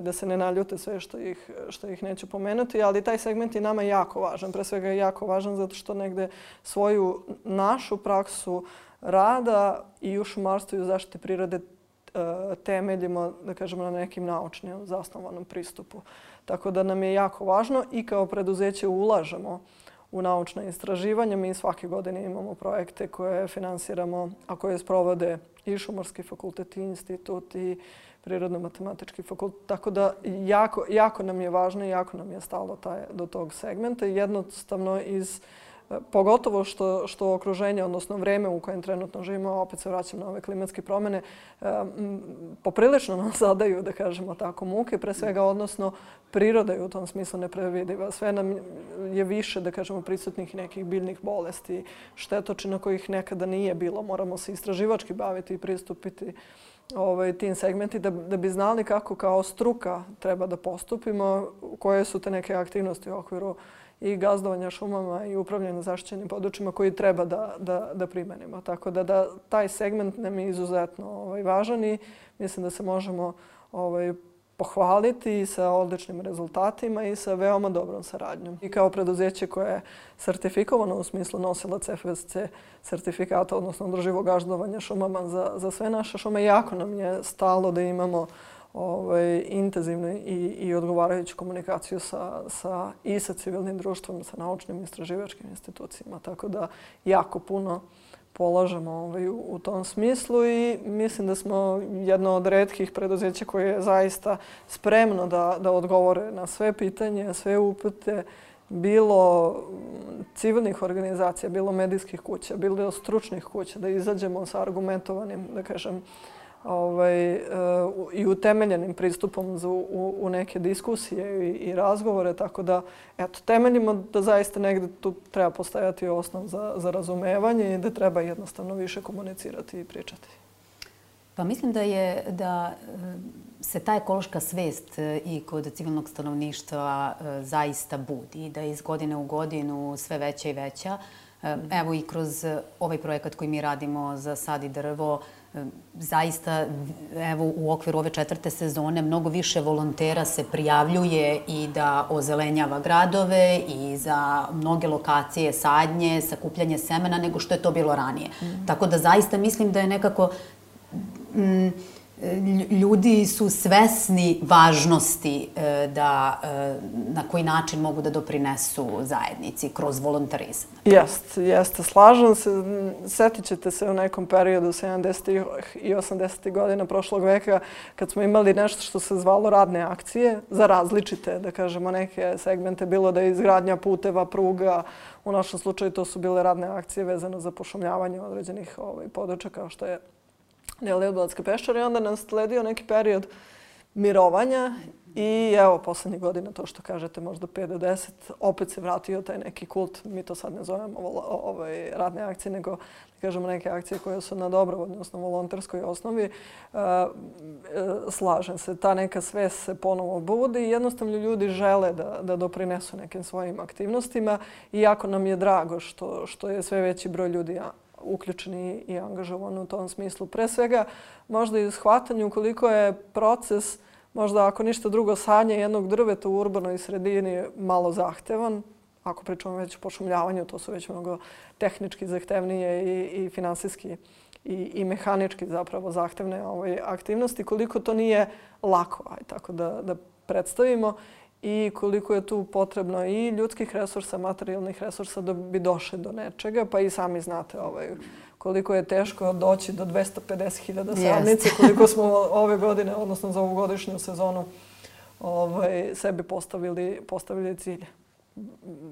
da se ne naljute sve što ih neću pomenuti, ali taj segment je nama jako važan. Pre svega je jako važan zato što negde svoju našu praksu rada i u šumarstvu i u zaštiti prirode temeljimo, da kažemo, na nekim naučnim zasnovanom pristupu. Tako da nam je jako važno i kao preduzeće ulažemo u naučna istraživanja. Mi svake godine imamo projekte koje finansiramo, a koje sprovode i Šumarski fakultet, i institut, i Prirodno-matematički fakultet. Tako da jako nam je važno i jako nam je stalo do tog segmenta. Jednostavno pogotovo što okruženje, odnosno vreme u kojem trenutno živimo, opet se vraćam na ove klimatske promjene, poprilično nam zadaju, da kažemo tako, muke, pre svega, odnosno priroda je u tom smislu neprevidiva. Sve nam je više, da kažemo, prisutnih nekih biljnih bolesti, štetočina kojih nekada nije bilo. Moramo se istraživački baviti i pristupiti tim segmenti da bi znali kako kao struka treba da postupimo, koje su te neke aktivnosti u okviru i gazdovanja šumama i upravljanja zaštićenim područjima koji treba da primenimo. Tako da taj segment nam je izuzetno važan i mislim da se možemo pohvaliti i sa odličnim rezultatima i sa veoma dobrom saradnjom. I kao preduzeće koje je sertifikovano u smislu nosilac FSC sertifikata, odnosno održivog gazdovanja šumama za sve naše šume, jako nam je stalo da imamo intenzivnu i odgovarajuću komunikaciju i sa civilnim društvom, sa naučnim i istraživačkim institucijama. Tako da jako puno polažemo u tom smislu i mislim da smo jedno od retkih preduzeća koje je zaista spremno da odgovore na sve pitanje, sve upute, bilo civilnih organizacija, bilo medijskih kuća, bilo stručnih kuća, da izađemo sa argumentovanim, da kažem, i utemeljenim pristupom u neke diskusije i razgovore, tako da temeljimo da zaista negde tu treba postojati osnov za razumevanje i da treba jednostavno više komunicirati i pričati. Pa mislim da se ta ekološka svest i kod civilnog stanovništva zaista budi, da je iz godine u godinu sve veća i veća. Evo i kroz ovaj projekat koji mi radimo za Sad i drvo, zaista evo u okviru ove 4. sezone mnogo više volontera se prijavljuje i da ozelenjava gradove i za mnoge lokacije sadnje, sakupljanje semena nego što je to bilo ranije. Tako da zaista mislim da je nekako ljudi su svesni važnosti na koji način mogu da doprinesu zajednici kroz volontarizam. Jeste. Slažem se. Setit ćete se u nekom periodu 70. i 80. godina prošlog veka kad smo imali nešto što se zvalo radne akcije za različite, da kažemo, neke segmente. Bilo da je izgradnja puteva, pruga. U našem slučaju to su bile radne akcije vezano za pošumljavanje određenih područja kao što je Deliblatske peščare i onda nas sledio neki period mirovanja i evo poslednjih godina, to što kažete, možda 5 do 10, opet se vratio taj neki kult. Mi to sad ne zovemo radne akcije, nego kažemo neke akcije koje su na dobrovoljnoj, odnosno volonterskoj osnovi. Slažem se, ta neka svest se ponovo budi i jednostavno ljudi žele da doprinesu nekim svojim aktivnostima i jako nam je drago što je sve veći broj ljudi uključeni i angažovani u tom smislu. Pre svega, možda i u shvatanju koliko je proces, možda ako ništa drugo, sadnje jednog drveta u urbanoj sredini malo zahtevan. Ako pričamo već o pošumljavanju, to su već mnogo tehnički zahtevnije i finansijski i mehanički zapravo zahtevne aktivnosti. Koliko to nije lako, tako da predstavimo. I koliko je tu potrebno i ljudskih resursa, materijalnih resursa da bi došli do nečega. Pa i sami znate koliko je teško doći do 250.000 sadnice, koliko smo ove godine, odnosno za ovogodišnju sezonu, sebi postavili cilj.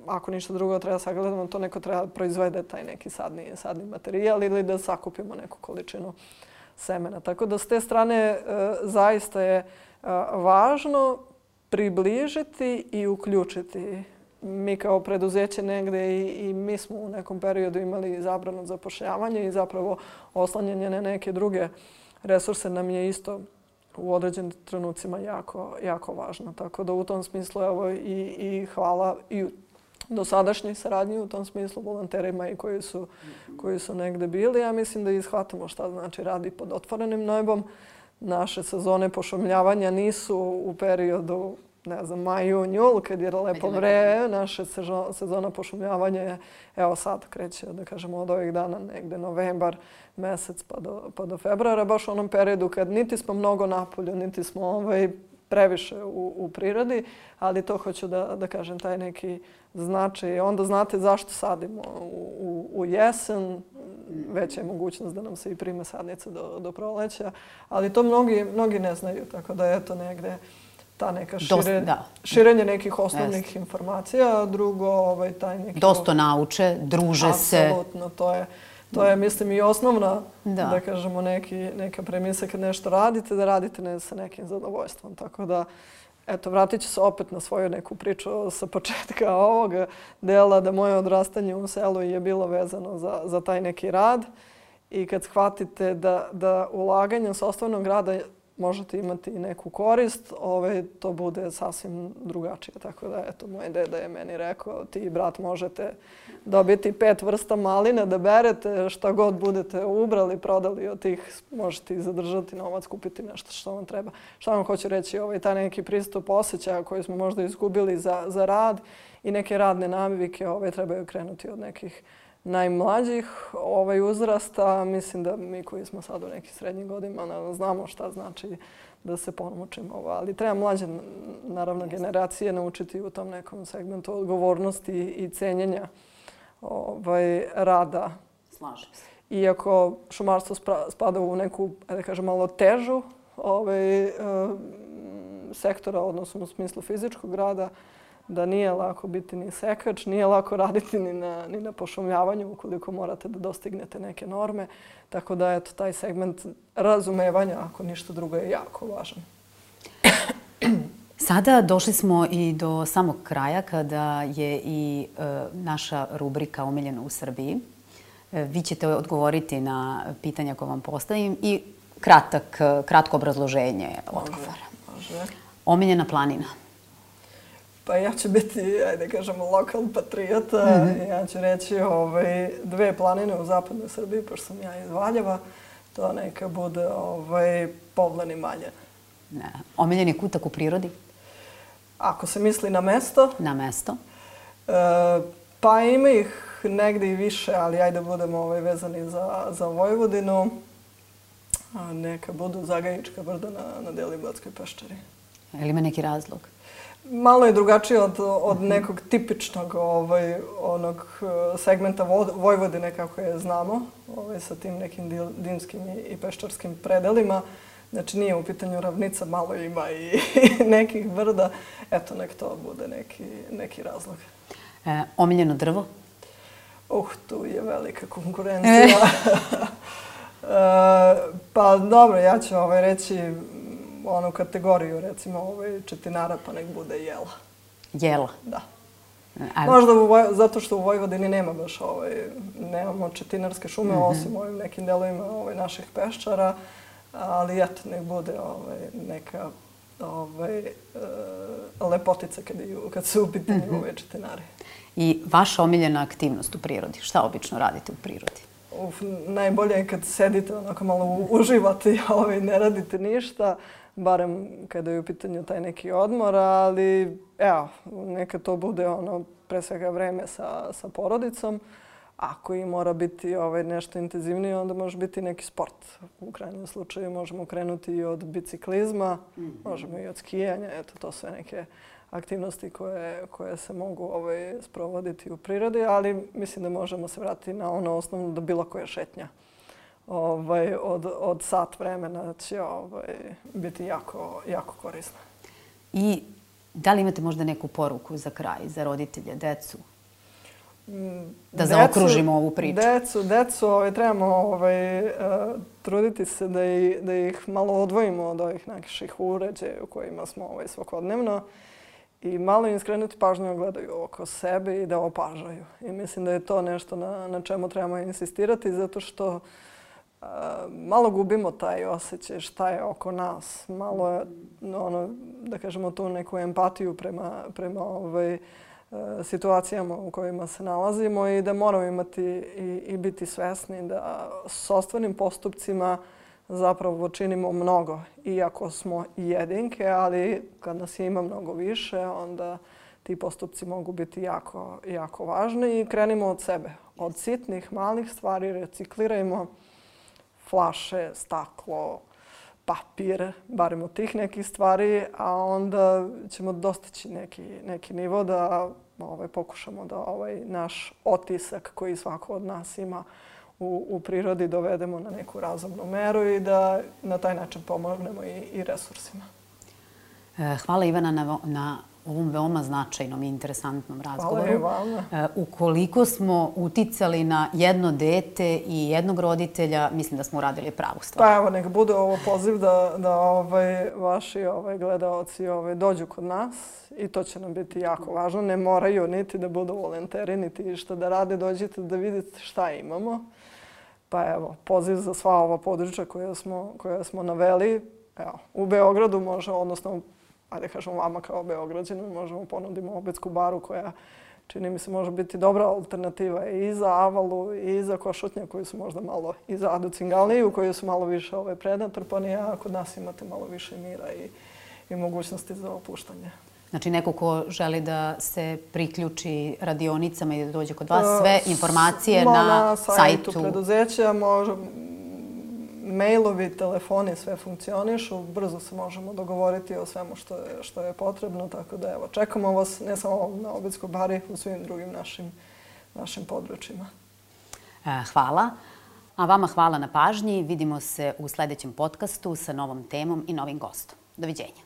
Ako ništa drugo treba sagledamo, to neko treba proizvede taj neki sadni materijal ili da sakupimo neku količinu semena. Tako da s te strane zaista je važno približiti i uključiti. Mi kao preduzeće negde i mi smo u nekom periodu imali zabranu zapošljavanja i zapravo oslanjanje na neke druge resurse nam je isto u određenim trenucima jako važno. Tako da u tom smislu evo i hvala i dosadašnjoj saradnji u tom smislu volonterima i koji su negde bili. Ja mislim da ishvatamo šta znači radi pod otvorenim nebom. Naše sezone pošumljavanja nisu u periodu, ne znam, maj, jun, jul, kad je lepo vreme. Naša sezona pošumljavanja je, evo sad kreće, da kažemo, od ovih dana negde novembar mesec pa do februara, baš u onom periodu kad niti smo mnogo napolju, niti smo previše u prirodi, ali to hoću da kažem, taj neki značaj. Onda znate zašto sadimo u jesen, veća je mogućnost da nam se i prime sadnice do proleća, ali to mnogi ne znaju, tako da je to negde ta neka širenje nekih osnovnih informacija, drugo taj neki... Dosta nauče, druže se. Apsolutno, to je, mislim, i osnovna, da kažemo, neka premisa kad nešto radite, da radite sa nekim zadovoljstvom. Tako da, eto, vratit ću se opet na svoju neku priču sa početka ovog dela, da moje odrastanje u selu je bilo vezano za taj neki rad. I kad shvatite da ulaganje sopstvenog rada možete imati i neku korist, to bude sasvim drugačije. Tako da, eto, moj deda je meni rekao, ti i brat možete dobiti 5 vrsta malina da berete, šta god budete ubrali, prodali od tih, možete i zadržati novac, kupiti nešto što vam treba. Šta vam hoću reći, taj neki pristup osjećaja koji smo možda izgubili za rad i neke radne navike trebaju krenuti od nekih najmlađih uzrasta. Mislim da mi koji smo sad u nekim srednjim godinama znamo šta znači da se pomučimo. Ali treba mlađe, naravno, generacije naučiti u tom nekom segmentu odgovornosti i cenjenja rada. Slažem se. Iako šumarstvo spada u neku, da kažem, malo težu sektora, odnosno u smislu fizičkog rada, da nije lako biti ni sekač, nije lako raditi ni na pošumljavanju ukoliko morate da dostignete neke norme. Tako da, eto, taj segment razumevanja, ako ništa drugo, je jako važan. Sada došli smo i do samog kraja kada je i naša rubrika Omiljeno u Srbiji. Vi ćete odgovoriti na pitanja koje vam postavim i kratko obrazloženje odgovora. Može. Omiljena planina. Pa ja ću biti, ajde kažemo, lokal patriota. Ja ću reći 2 planine u zapadnoj Srbiji, pošto sam ja iz Valjeva. To neka bude Povlen i Maljen. Omiljeni kutak u prirodi? Ako se misli na mesto? Na mesto. Pa ima ih negde i više, ali ajde budemo vezani za Vojvodinu. Neka budu Zagajička brda na Deliblatskoj peščari. Je li ima neki razlog? Malo je drugačije od nekog tipičnog onog segmenta Vojvodine kako je znamo, sa tim nekim dimskim i peščarskim predelima. Znači nije u pitanju ravnica, malo ima i nekih brda. Eto, nek to bude neki razlog. Omiljeno drvo? Tu je velika konkurencija. Pa dobro, ja ću reći onu kategoriju, recimo, četinara, pa nek bude jela. Jela? Da. Možda zato što u Vojvodini nema baš nemamo četinarske šume, osim u ovim nekim delovima naših peščara, ali eto, nek bude neka lepotica kad su u pitanju ove četinare. I vaša omiljena aktivnost u prirodi? Šta obično radite u prirodi? Najbolje je kad sedite, onako malo uživate i ne radite ništa, barem kada je u pitanju taj neki odmor, ali evo, neka to bude pre svega vreme sa porodicom. Ako i mora biti nešto intenzivnije, onda može biti neki sport. U krajnjem slučaju možemo krenuti i od biciklizma, možemo i od skijanja. Eto, to sve neke aktivnosti koje se mogu sprovoditi u prirodi, ali mislim da možemo se vratiti na ono osnovno da bilo koja šetnja od sat vremena će biti jako korisna. I da li imate možda neku poruku za kraj, za roditelje, decu? Da zaokružimo ovu priču. Decu trebamo truditi se da ih malo odvojimo od ovih naših uređaja u kojima smo svakodnevno i malo im skrenuti pažnju, gledaju oko sebe i da opažaju. I mislim da je to nešto na čemu trebamo insistirati, zato što malo gubimo taj osjećaj šta je oko nas. Malo, da kažemo, tu neku empatiju prema situacijama u kojima se nalazimo i da moramo imati i biti svesni da s sopstvenim postupcima zapravo činimo mnogo. Iako smo jedinke, ali kad nas ima mnogo više, onda ti postupci mogu biti jako važni i krenimo od sebe. Od sitnih, malih stvari reciklirajmo flaše, staklo, papir, barem od tih nekih stvari, a onda ćemo dostići neki nivo da pokušamo da naš otisak koji svako od nas ima u prirodi dovedemo na neku razumnu meru i da na taj način pomognemo i resursima. Hvala Ivana na ovom veoma značajnom i interesantnom razgovoru. Hvala i vama. Ukoliko smo uticali na jedno dete i jednog roditelja, mislim da smo uradili pravu stvar. Pa evo, nek bude ovo poziv da vaši gledaoci dođu kod nas i to će nam biti jako važno. Ne moraju niti da budu volonteri, niti šta da rade. Dođite da vidite šta imamo. Pa evo, poziv za sva ova područja koja smo naveli. evo, u Beogradu može, odnosno, ajde kažemo vama kao Beograđanima, možemo ponudimo obetsku baru koja, čini mi se, može biti dobra alternativa i za Avalu i za Košutnjak koji su možda malo, i za Adu Cingalniju koji su malo više prenatrpani, a kod nas imate malo više mira i mogućnosti za opuštanje. Znači, neko ko želi da se priključi radionicama i da dođe kod vas, sve informacije na sajtu preduzeća, mailovi, telefoni, sve funkcionišu. Brzo se možemo dogovoriti o svemu što je potrebno, tako da evo, čekamo vas ne samo na Obedskoj bari, u svim drugim našim područjima. Hvala. A vama hvala na pažnji. Vidimo se u sledećem podcastu sa novom temom i novim gostom. Doviđenja.